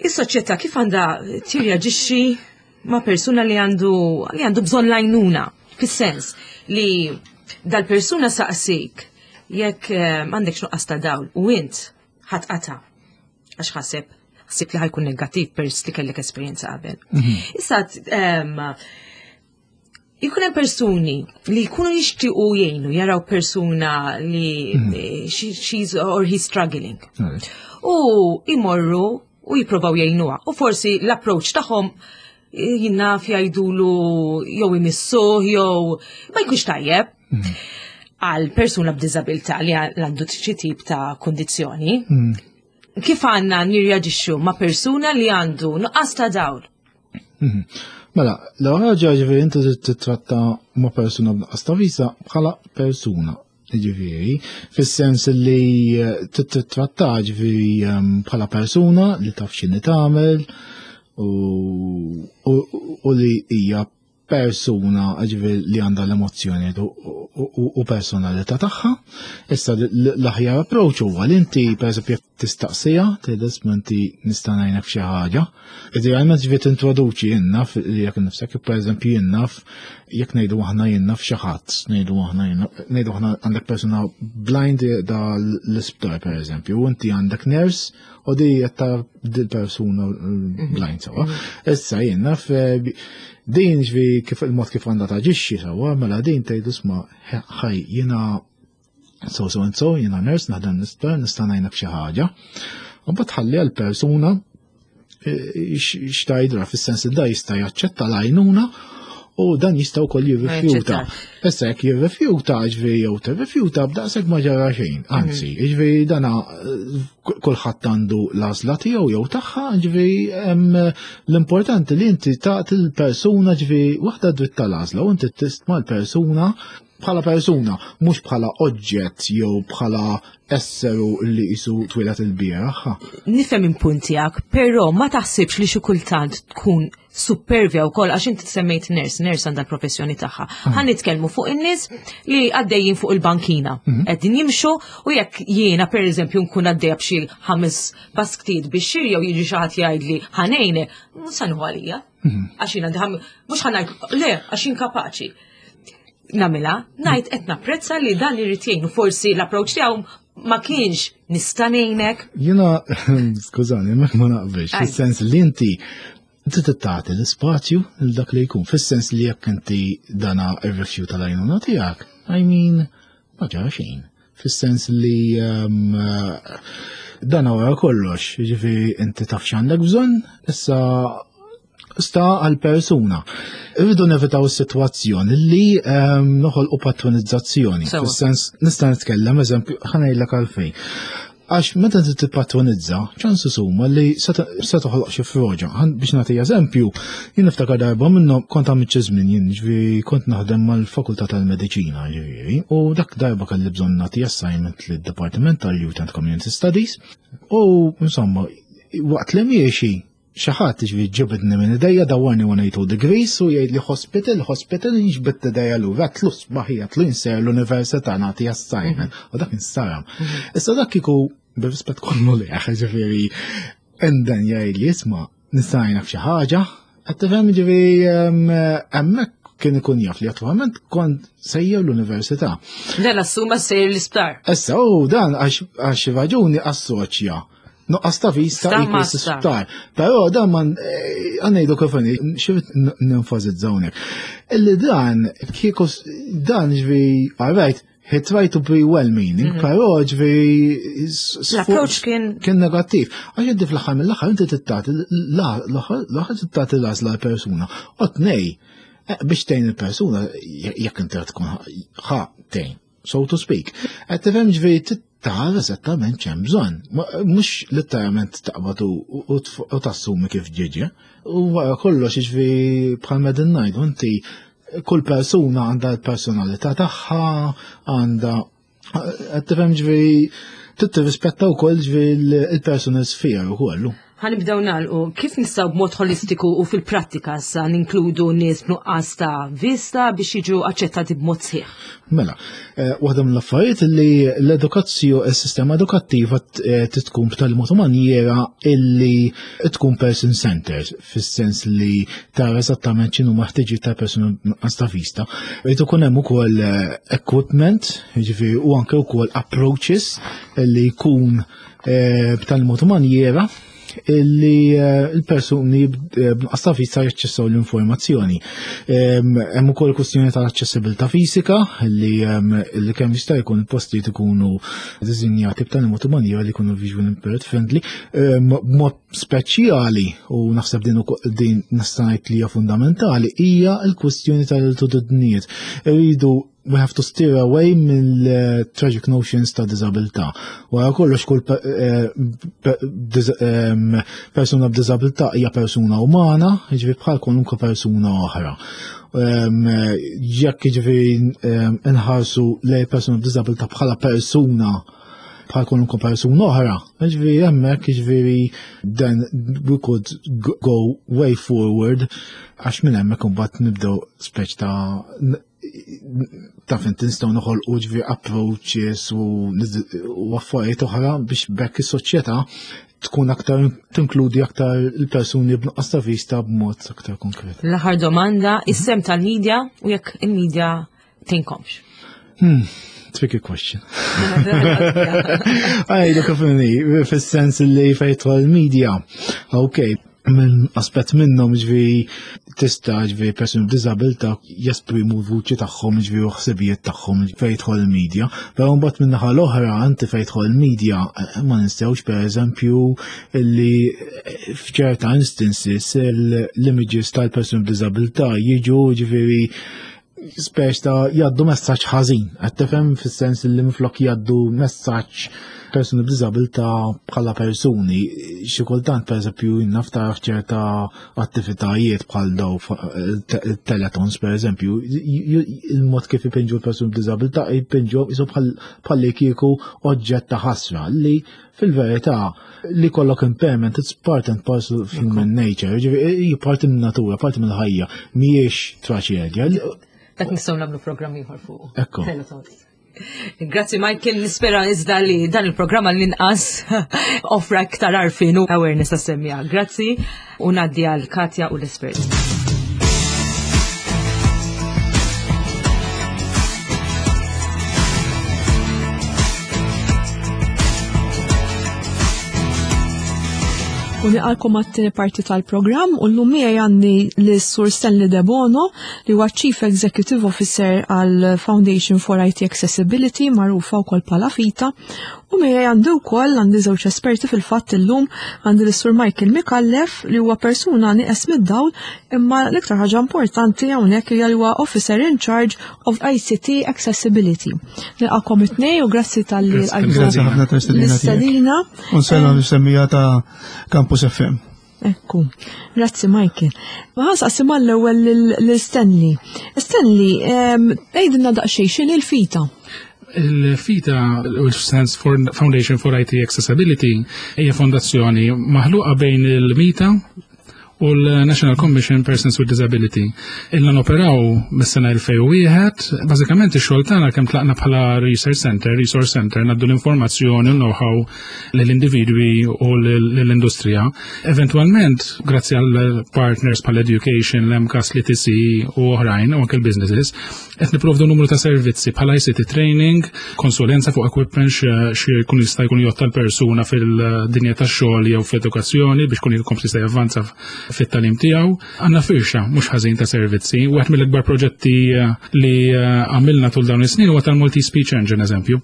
Is-soċjetà kif għandha tirreaġixxi ma' persuna li għandu li għandu bżonn l-għajnuna, fis-sens li dal-persuna saqsik jekk għandek nuqqas ta' dawl u int ħatqata għax ħaseb ħsib li ħajkun negattiv pers li kellek esperjenza qabel. Issa jkun hemm persuni li jkunu jixtiequ jgħinu jaraw persuna li she's or he's struggling. U imorru u jipprovaw jgħinuha. U forsi l-approach tagħhom jinnaf jgħidulu jew imissuh jew ma jkunx tajjeb għal persuna b'diżabilità li għandu xi tip ta' kundizzjoni. Kif għandna nirreaġixxu ma' persuna li għandu nuqqas ta' dawl? Mela, l-ewwel ħaġa ġifieri inti trid titratta ma' persuna b'nuqqas ta' vista bħala persuna. Ġifieri, fis-sens li titratta ġifieri bħala persuna li taf x'inhi tagħmel u li hija persuna ġifieri li għandha l-emozzjoni u personalità tagħha. Issa l-aħjar approach huwa li inti pereżempju tistaqsija, tgħidha isma' inti nista' ngħinek f'xi ħaġa. Idealment ġifieri tintroduċi jien naf jekk nifsek, pereżempju jien naf jekk ngħidu aħna jien naf xi ħadd, ngħidu aħna jien naf, ngħidu aħna għandek persuna blind da l-isptar pereżempju, u inti għandek nurse u di qed tara dil persuna blind sewwa. Issa jien naf din ġifieri kif il-mod kif għandha taġixxi sewwa, mela din tgħidu isma' ħaj jiena so so and so, jiena nurse naħdem l-isptar, nista' ngħinek f'xi ħaġa. U mbagħad tħalli għall-persuna x'tgħidra fis-sens li da jista' jaċċetta l-għajnuna u dan jista' wkoll jirrifjuta. Issa jekk jirrifjuta, ġifieri jew tirrifjuta, b'daqshekk ma ġara xejn. Anzi, ġifieri dana kulħadd għandu l-għażla tiegħu jew tagħha, ġifieri l-importanti li inti tagħti l-persuna ġifieri waħda dritt tal-għażla u inti tistma' l-persuna. Bħala persuna, mhux bħala oġġett jew bħala esseru li qisu twieled il-bieraħ. Nifhem il-punt tiegħek, però ma taħsibx li xi kultant tkun supervja wkoll għax inti semmejt nurse, nurse għandha l-professjoni tagħha. Ħa nitkellmu fuq in-nies li għaddejjin fuq il-bankina. Qegħdin jimxu u jekk jiena pereżempju nkun għaddejja b'xi ħames basktiet biex xiri jew jiġi xi ħadd jgħidli ħa ngħinek, mhux se nieħu għalija. Għax jiena mhux ħa ngħid le għax jien kapaċi. Nagħmilha, ngħid qed napprezza li dan irid jgħin u forsi l-approach tiegħu ma kienx nista' ngħinek. Jiena, skużani, ma naqbilx, fis-sens li inti trid tagħti l-ispazju lil dak li jkun, fis-sens li jekk inti dana ir-rifjut tal-għajnuna tiegħek, I mean, ma ġara xejn. Fis-sens li dan wara kollox, jiġifieri inti taf x'għandek bżonn, issa sta għal-persuna. Irridu nevitaw is-sitwazzjoni li noħolqu patronizzazzjoni. Fis-sens nista' nitkellem eżempju ħa ngħidlek għalfejn. Għax meta inti tippatronizza, ċansu huma li se toħloq xi froġa. Biex nagħti eżempju, jien niftakar darba minnhom kont għamilt xi żmien jien ġifieri kont naħdem mal-Fakultà tal-Mediċina ġifieri, u dak darba kelli bżonn nagħti assignment lid-Dipartiment tal-Youth and Community Studies u insomma waqt li miexi xi ħadd ġifieri ġibidni minn idejja dawwarni 180 degrees u jgħid li hospital, hospital, nġbidt idejja lura, tlu sbaħija, tlu jinser l-università nagħti assignment, u dak insaram. Issa dak kieku bir-rispett kollu li ġifieri, and then jgħid li isma' nista' ngħinak f'xi ħaġa, qed tifhem ġifieri hemmhekk kien ikun jaf li attualment kont sejjer l-università. Dan assuma sejjer l-isptar. Issa, u dan għax raġuni assoċja nuqqas ta' vista equals sptar. Però dan man għandejdu kif xi nenfasizza hawnhekk. Illi dan kieku dan ġvi, all right, he tried to be well-meaning, però ġvi L-approach kien kien negattiv. Għax inti fl-aħħar mill-aħħar inti tittati l-aħħar tittati l-għażla l-persuna. U tnej, biex tgħin il-persuna jekk inti tkun ħa tgħin, so to speak. Qed tifhem ġvi tara eżattament x'hemm bżonn. Mhux letteralment taqbad u tassumi kif ġiġi. U wara kollox ġvi bħal medin ngħidu inti kull persuna għandha l-personalità tagħha, għandha qed tifhem ġvi trid tirrispetta wkoll ġvi il-personal sphere ukoll. Ħa nibdew nagħlqu, kif nistgħu b'mod holistiku u fil-prattika sa ninkludu nies b'nuqqas ta' vista biex jiġu aċċettati b'mod sħiħ? Mela, waħda mill-affarijiet li l-edukazzjoni, is-sistema edukattiva tkun b'tali mod u manjiera illi tkun person-centered, fis-sens li tara eżattament x'inhu ħtiġijiet ta' persuna b'nuqqas ta' vista. Irid ikun hemm ukoll equipment, jiġifieri u anke wkoll approaches li jkun b'tali mod u manjiera illi il-persuni b'nuqqas ta' vista jaċċessaw l-informazzjoni. Hemm ukoll kwestjoni tal-aċċessibilità fisika li kemm jista' jkun il-postijiet ikunu disinjati b'tali mod u manjiera li jkunu visual impaired friendly, b'mod speċjali u naħseb din din nista' ngħid li hija fundamentali hija l-kwestjoni tal-altitudnijiet. Irridu we have to steer away mill-tragic notions ta' disabilità. Wara kollox kull persuna b'disabilità hija persuna umana, jiġifieri bħal kwalunkwe persuna oħra. Jekk jiġifieri inħarsu lejn persuna b'disabilità bħala persuna bħal kwalunkwe persuna oħra, jiġifieri hemmhekk jiġifieri then we could go way forward għax minn hemmhekk imbagħad nibdew speċ ta' taf inti nistgħu noħolqu ġifieri approaches u affarijiet oħra biex bekk is-soċjetà tkun aktar tinkludi aktar il-persuni b'nuqqas ta' vista b'mod aktar konkret. L-aħħar domanda, is-sehem tal-media u jekk il-media tgħinkomx. Tricky question. Għajdu kif inhi, fis-sens li fejn l-media. Ok, minn aspett minnhom ġvi tista' ġvi persuni b'diżabilità jesprimu l-vuċi tagħhom ġvi u ħsibijiet tagħhom fejn jidħol il-media. Però mbagħad minn naħa l-oħra anti fejn jidħol il-media ma nistgħux pereżempju li f'ċerta instances l-images tal-persuni b'diżabilità jiġu ġifieri speċ ta' jgħaddu messaġġ ħażin. Qed tifhem fis-sens li minflok jgħaddu messaġġ persuni b'diżabilità bħala persuni, xi kultant pereżempju naf tara ċerta attivitajiet bħal daw teletons pereżempju, il-mod kif ipinġu l-persuni b'diżabilità jpinġu jisu bħal li kieku oġġett ta' ħasra li fil-verità li kollok impairment it's part and parcel of human nature, ġifieri parti minn natura, parti mill ħajja, mhijiex traċedja. Dak nistgħu nagħmlu programm ieħor fuq. Ekku. Grazzi Michael, nispera iżda li dan il-programm għall-inqas offra iktar għarfien u awareness tas-semmija. Grazzi u ngħaddi għal Katja u l-espert. U nilqalkom għat-tieni parti tal-programm u llum miegħi għandi lis-Sur Stanley Debono li huwa Chief Executive Officer għal Foundation for IT Accessibility magħrufa wkoll bħala FITA u miegħi għandi wkoll għandi żewġ esperti fil-fatt illum għandi lis-Sur Michael Micallef li huwa persuna nieqes mid-dawl imma l-iktar ħaġa importanti hawnhekk hija li huwa Officer in Charge of ICT Accessibility. Nilqakom it-tnej u grazzi tal-li Grazzi ħafna tal-istedina. U nsellem ta' Campus FM. Ekku, grazzi Michael. Ma ħansaqsi mal-ewwel lil Stanley. Stanley, għidilna daqsxejn x'inhi l-FITA? Il-FITA, which stands for Foundation for IT Accessibility, hija fondazzjoni maħluqa bejn il-MITA u l-National Commission Persons with Disability. Ilna noperaw mis-sena 2001, bażikament ix-xogħol tagħna kemm tlaqna bħala Research Center, Resource Center, ngħaddu l-informazzjoni u know-how lill-individwi u lill-industrija. Eventwalment, grazzi għal partners bħal Education, l-MCAS, l-ETC u oħrajn, u anke l-businesses, qed nipprovdu numru ta' servizzi bħala ICT training, konsulenza fuq equipment xi jkun jista' jkun jotta l-persuna fil-dinja tax-xogħol jew fl-edukazzjoni biex kun jkompli jista' javvanza fit-tagħlim tiegħu. Għandna firxa mhux ħażin ta' servizzi. Wieħed mill-ikbar proġetti li għamilna tul dawn is-snin huwa tal-Multi Speech Engine eżempju.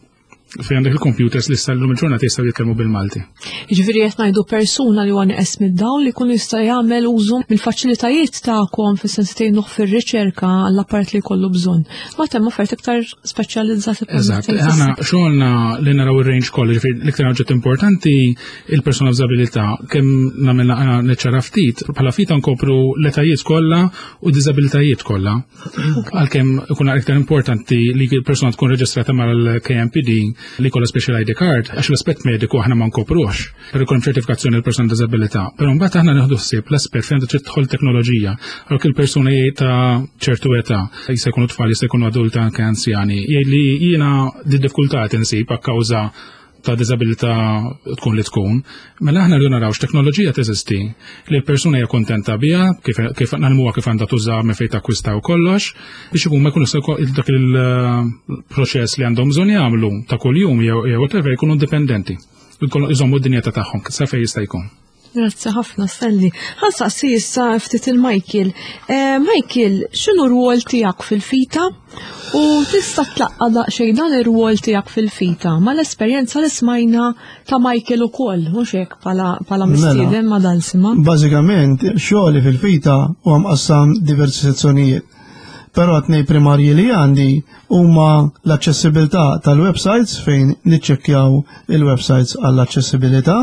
Fejn għandek il-computers li sal-lum il-ġurnata jistgħu jitkellmu bil-Malti. Jiġifieri qed ngħidu persuna li huwa nieqes mid-dawl li jkun jista' jagħmel użu mill-faċilitajiet tagħkom fis-sens tgħinuh fir-riċerka għall-apparat li jkollu bżonn. Ma hemm offerti iktar speċjalizzati. Eżatt, aħna xogħolna li naraw ir-range kollu, ġifieri l-iktar oġġett importanti il-persuna b'diżabilità kemm nagħmel naqra niċċara ftit, bħala fita nkopru l-etajiet kollha u diżabilitajiet kollha. Għalkemm ikun iktar importanti li l-persuna tkun reġistrata mal-KMPD li kollha special ID card, għax l-aspett mediku aħna ma nkoprux, per ikun ċertifikazzjoni l-persuna b'diżabilità. Però mbagħad aħna nieħdu ħsieb l-aspett fejn trid tidħol teknoloġija. Għalhekk il-persuna ta' ċertu età, jista' jkunu tfal, jista' jkunu adulta anke anzjani, jgħid li jiena di diffikultà insib akkawża ta' diżabilità tkun li tkun, mela aħna rridu naraw x'teknoloġija teżisti li l-persuna hija kontenta biha, kif, kif nagħlmuha kif għandha tuża minn fejn takkwista u kollox, biex ikun ma jkunu dak il-proċess li għandhom bżonn jagħmlu ta' kuljum jew whatever jkunu indipendenti. Jżommu d-dinjità tagħhom sa fejn jista' jkun. Grazzi ħafna, Stanley. Ħansaqsi issa ftit il-Michael. Eh, Michael, x'inhu r-rwol tiegħek fil-fita? U tista' tlaqqa daqsxejn dan ir-rwol tiegħek fil-fita mal-esperjenza li smajna ta' Michael ukoll, mhux hekk bħala mela, mistieden ma' dan sima. Bażikament, xogħli fil-fita huwa mqassam diversi sezzjonijiet. Però tnej primarji li għandi huma l-aċċessibilità tal-websites fejn niċċekkjaw il-websites għall-aċċessibilità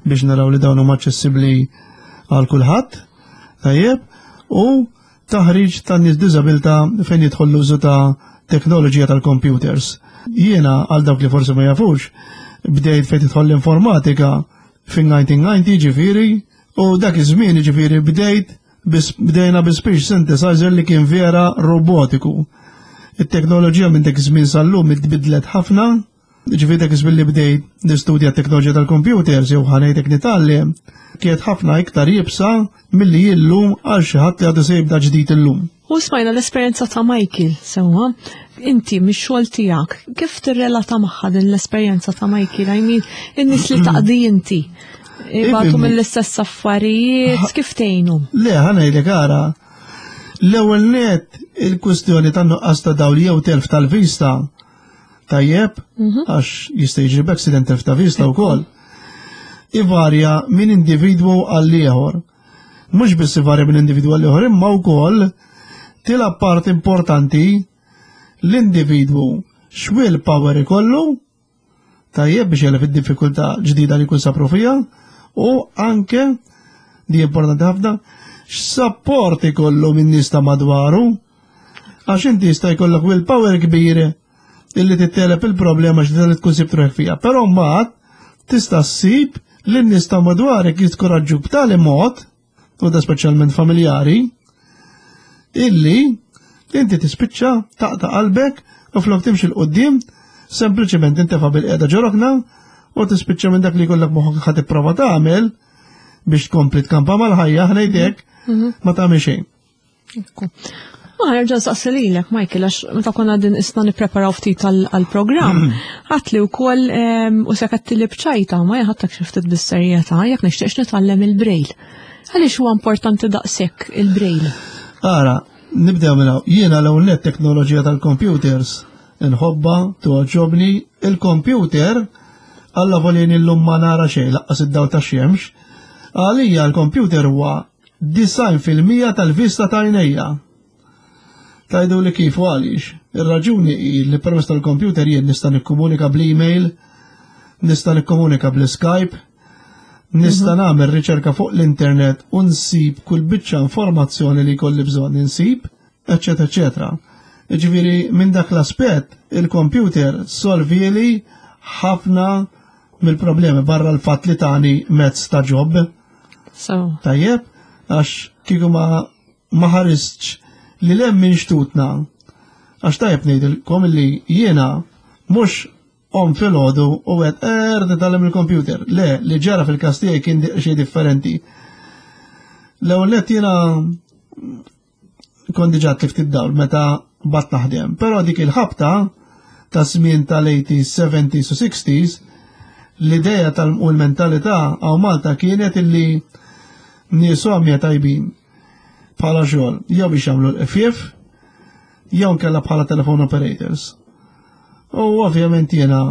biex naraw li dawn huma aċċessibbli għal kulħadd, tajjeb, u taħriġ tan nies b'diżabilità fejn jidħol l-użu ta' teknoloġija tal-computers. Jiena għal dawk li forsi ma jafux, bdejt fejn tidħol l-informatika fin-1990 ġifieri, u dak iż-żmien ġifieri bdejt bdejna bi speech synthesizer li kien vera robotiku. It-teknoloġija minn dak iż-żmien sal-lum itbidlet ħafna, Ġifieri dak iż-żmien li bdejt nistudja t-teknoloġija tal-computers jew ħanejtek nitgħallem, kienet ħafna iktar iebsa milli hi llum għal xi ħadd li għadu se jibda ġdid illum. U smajna l-esperjenza ta' Michael, sewwa, inti mix-xogħol tiegħek, kif tirrelata magħha din l-esperjenza ta' Michael? I mean, in-nies li taqdi inti. Ibatu mill-istess affarijiet, kif tgħinu? Le, ħanejlek ara, l-ewwel net il-kwistjoni tan-nuqqas ta' dawl jew telf tal-vista tajjeb, mhm. għax jista' jiġri b'accident telf ta' vista wkoll. Ivarja minn individwu għal ieħor. Mhux biss ivarja minn individwu għal ieħor, imma wkoll tilgħab part importanti l-individwu x'will power ikollu. Tajjeb biex jegħleb id-diffikultà ġdida li jkun sapru fiha u anke li importanti ħafna x'sapport ikollu minn nies ta' madwaru għax inti jista' jkollok willpower kbir illi titteleb il-problema ġdida li tkun sibt ruħek fiha. Però mbagħad tista' ssib li n-nies ta' madwarek jiskoraġġu b'tali mod u da speċjalment familjari, illi inti tispiċċa taqta' qalbek u flok timxi l-qoddim, sempliċement intefa' bil-qiegħda ġorokna u tispiċċa minn dak li jkollok moħħok ħa tipprova tagħmel biex tkompli tkampa mal-ħajja ħnejdek mhm. ma tagħmel xejn. Ma nerġa' nsaqsi lilek, Michael, għax meta konna din isna nippreparaw ftit għall-programm, ħadd li wkoll u se li bċajta ma ħadtek xi ftit bis-serjetà jekk nixtieqx nitgħallem il-braille. Għaliex huwa importanti daqshekk il-braille? Ara, nibdew minn hawn. Jiena l-ewwel net teknoloġija tal-computers inħobba, toġobni, il-computer alla volini llum ma nara xejn laqqas id-dawl tax-xemx. Għalija l-computer huwa 90% tal-vista ta' għajnejja. Tajdu li kif u għaliex. Ir-raġuni hi li permezz tal-kompjuter jien nista' nikkomunika bl-email, nista' nikkomunika bl-Skype, nista' mhm. nagħmel riċerka fuq l-internet u nsib kull biċċa informazzjoni li jkolli bżonn insib, eċetera, eċetera. Ġifieri minn dak l-aspett il-kompjuter solvieli ħafna mill-problemi barra l-fatt li tani mezz ta' ġob. So. Tajjeb, għax kieku ma ma ħaristx li lem minn xtutna. Għax tajjeb ngħidilkom li jiena mhux om filgħodu u għed er nitgħallem il-computer. Le, li ġara fil-każ tiegħi kien xejn differenti. L-ewwel nett jiena kont diġà tlift id-dawl meta bat naħdem. Però dik il-ħabta ta' żmien tal-80s, 70s u 60s, l-ideja tal u l-mentalità għaw Malta kienet illi nies għamja tajbin bħala xogħol jew biex jagħmlu l-FF jew nkella bħala telephone operators. U ovvjament jiena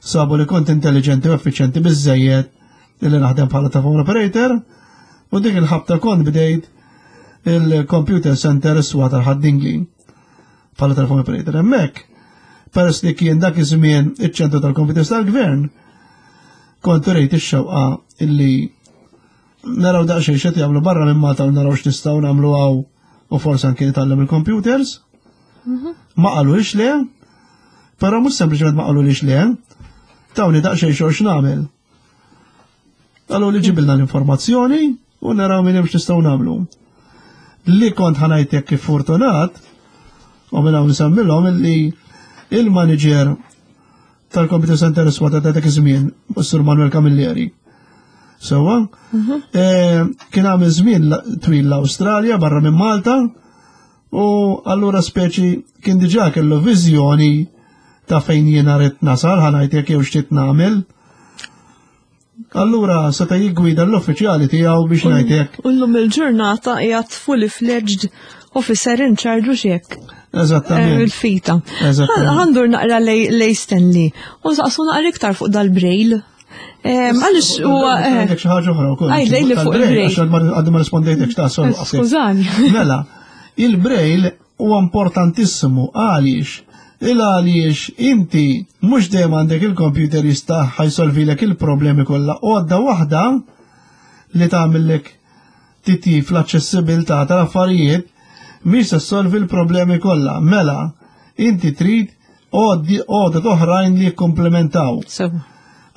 sabu li kont intelligenti u effiċjenti biżejjed illi naħdem bħala telephone operator u dik il-ħabta kont bdejt il-computer center iswa tal-ħaddingli bħala telephone operator. Hemmhekk, peress li kien dak iż-żmien iċ-ċentru tal-computers tal-gvern, kont rejt ix-xewqa illi naraw daqsxejn x'qed jagħmlu barra minn Malta u naraw x'nistgħu nagħmlu hawn u forsi anke nitgħallem il-computers. Mhm. Ma qalux le, però mhux sempliċement ma qalux le, tawni daqsxejn xogħol x'nagħmel. Qalu li ġibilna l-informazzjoni u naraw minn hemm x'nistgħu nagħmlu. Li kont ħanajtek kif fortunat, u minn hawn nsemmilhom illi il-manager tal-Computer Center Swata ta' dak iż-żmien, Sur Manuel Camilleri. Sewa, mhm. eh, kien għamil żmien twil l-Awstralja barra minn Malta u allura speċi kien diġà kellu viżjoni ta' fejn jiena rrid nasal ħanajtek jew x'trid nagħmel. Allura seta' jiggwida l-uffiċjali tiegħu biex ngħidlek. U llum il-ġurnata qiegħed fully fledged officer in charge u xek. Eżattament. Eh, il-fita. Għandur naqra lej Stanley. U saqsu naqra iktar fuq dal-brail. Għalix u. Eh, għandek xi ħaġa oħra wkoll. Għajd lej li fuq il-brail. Għax għaddu ma rispondejtek x'ta' sol. Eh, skużani. Mela, il-brail huwa importantissimu għaliex il għaliex inti mhux dejjem għandek il-computer jista' ħajsolvilek il-problemi kollha u għadda waħda li tagħmellek titjib fl-aċċessibilità tal-affarijiet mhix se ssolvi l-problemi kollha. Mela, inti trid għodod oħrajn li jikkomplementaw.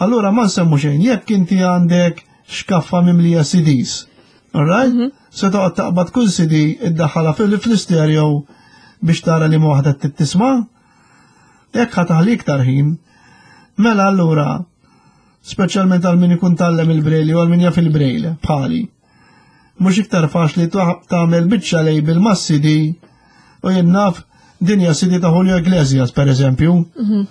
Allura ma nsemmu xejn, jekk inti għandek xkaffa mimlija CDs, Alright? Mm -hmm. Se toqgħod taqbad kull CD iddaħħalha fl-istereo biex tara li ma waħda tisma'. Jekk ħa taħli iktar ħin, mela allura speċjalment għal min ikun tallem il-brejli u għal min jaf il-brejli bħali. Mhux iktar faċli tagħmel biċċa label ma' CD u jien naf dinja CD ta' Julio Iglesias per eżempju. Mhm.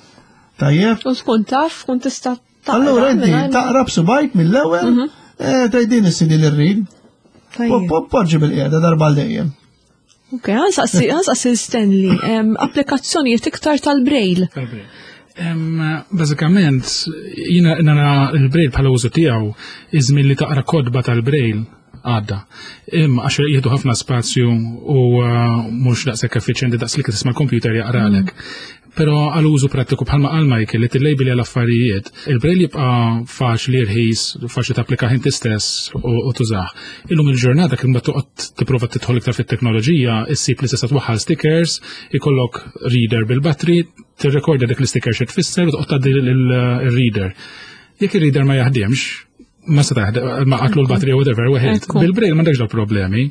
Tajjeb? U tkun taf, tkun tista' Allura inti taqra b'subajk mill-ewwel, mhm. eh, tgħid din is-sidi li rrid. Poġġi bil-qiegħda darba għal dejjem. Ok, għansaqsi Stanley, applikazzjonijiet iktar tal-braille. Bażikament, jina nara il-braille bħala użu tiegħu iż-żmien li taqra kodba tal-braille. għadda. Imma għax jieħdu ħafna spazju u mhux daqshekk effiċjenti daqs li tisma' l-computer jaqralek. Però għal użu prattiku bħalma qal Michael li tillejbili għal affarijiet, il-braille jibqa' faċli rħis, faċli tapplika inti stess u tużah. Illum il-ġurnata kif ma toqgħod tipprova tidħol iktar fit-teknoloġija, issib li tista' twaħħal stickers, ikollok reader bil-battery, tirrekordja dik l-sticker xi tfisser u toqgħod tgħaddi il-reader. Jekk ir-reader ma jaħdimx, ma seta' ma qatlu l-batterija whatever, weħed. Bil-braille m'għandekx daw problemi.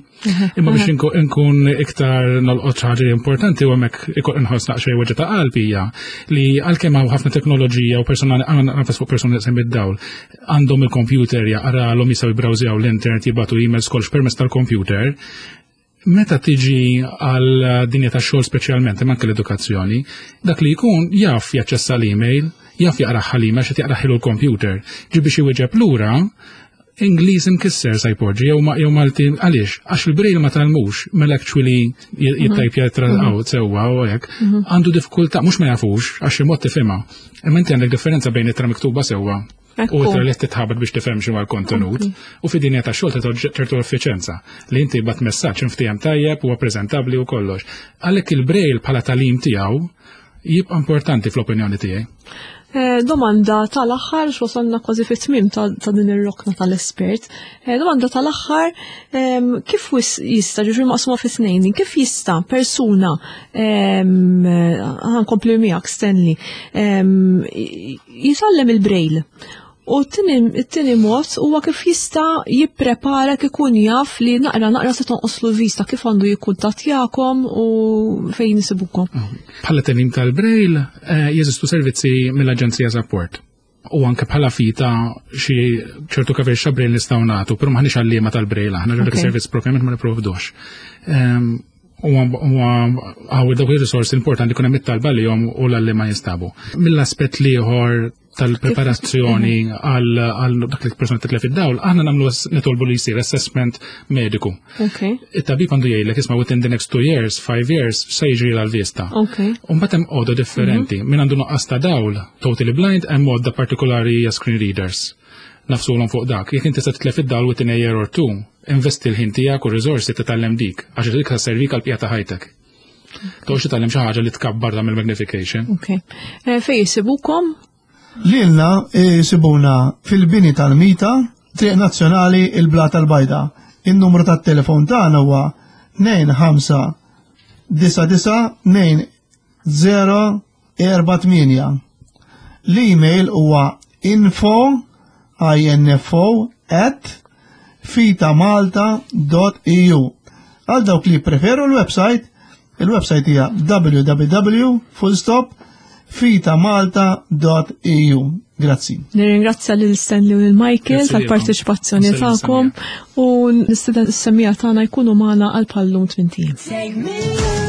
Imma biex inkun iktar nolqot ħaġa importanti u hemmhekk ikun inħoss naqxej weġġa ta' qalb hija li għalkemm hawn ħafna teknoloġija u persuna nafas fuq persuna li id-dawl għandhom il-computer jaqralhom jistgħu jibbrawżjaw l-internet jibgħatu emails kollox permezz tal-computer. Meta tiġi għal dinja ta' xogħol speċjalment, imma anke l-edukazzjoni, dak li jkun jaf jaċċessa l-email, jaf jaqraħ l-email xi jaqraħ l-computer. Ġi biex iwieġeb lura, Ingliż imkisser sa jpoġġi jew Malti għaliex għax il-braille ma talmux mela actually jittajpja out sewwa u hekk għandu diffikultà mhux ma jafux għax xi mod tifhimha. Imma inti għandek differenza bejn ittra miktuba sewwa u ittra li titħabat biex tifhem xi l-kontenut u fid-dinja ta' xogħol ta' ċertu effiċenza li inti bat messaġġ inftiehem tajjeb huwa preżentabbli u kollox. Għalhekk il-braille bħala talim tiegħu jibqa' importanti fl-opinjoni tiegħi. Domanda tal-aħħar, x'wasalna kważi fit-tmiem ta' din ir-rokna tal-espert. Domanda tal-aħħar, kif jista', ġifieri maqsuma fi tnejn, kif jista' persuna, ħankompli miegħek Stanley, jitgħallem il-braille? U t-tieni mod huwa kif jista' jipprepara kif ikun jaf li naqra naqra se tonqoslu l-vista, kif għandu jikkuntattjakom u fejn isibukom. Bħala tagħlim tal-braille jeżistu servizzi mill-Aġenzija Support. U anke bħala FITA xi ċertu coverage ta' braille nistgħu nagħtu, però m'aħniex għalliema tal-braille aħna, ġo dak servizz propjament ma nipprovdux. U għaw dawk il-risorsi importanti kun hemm it-talba li jom u l-għalliema jinstabu. Mill-aspett l-ieħor tal-preparazzjoni għal dak li persona titlef id-dawl, aħna nagħmlu nitolbu li jsir assessment mediku. It-tabib għandu jgħidlek isma' within the next 2 years, 5 years, se jiġri l-vista. U mbagħad hemm għodda differenti. Min għandu nuqqas ta' dawl, totally blind, hemm għodda partikolari hija screen readers. Nafsulhom fuq dak. Jekk inti se titlef id-dawl within a year or two, investi l-ħin tiegħek u riżorsi titgħallem dik, għax dik servik għal bqija ta' ħajtek. Toqgħodx titgħallem xi ħaġa li tkabbar tagħmel magnification. Ok. Fejn jisibukom? Lilna jisibuna fil-bini tal-Mita, Triq Nazzjonali il-Blata l-Bajda. Il-numru tat-telefon tagħna huwa tnejn ħamsa disa' disa' tnejn zero erba' tmienja. L-email huwa info, I N F O, at fitamalta dot E U. Għal dawk li preferu l-website, il-website hija w w w full stop fitamalta dot e u. Grazzi. Nirringrazzja lil Stanley u lil Michael Grazzi lilkom. tal-parteċipazzjoni Grazzi lil tagħkom Samia. u nistieden is-semmiegħa tagħna jkunu magħna għal bħallum tmien ijiem. Take me.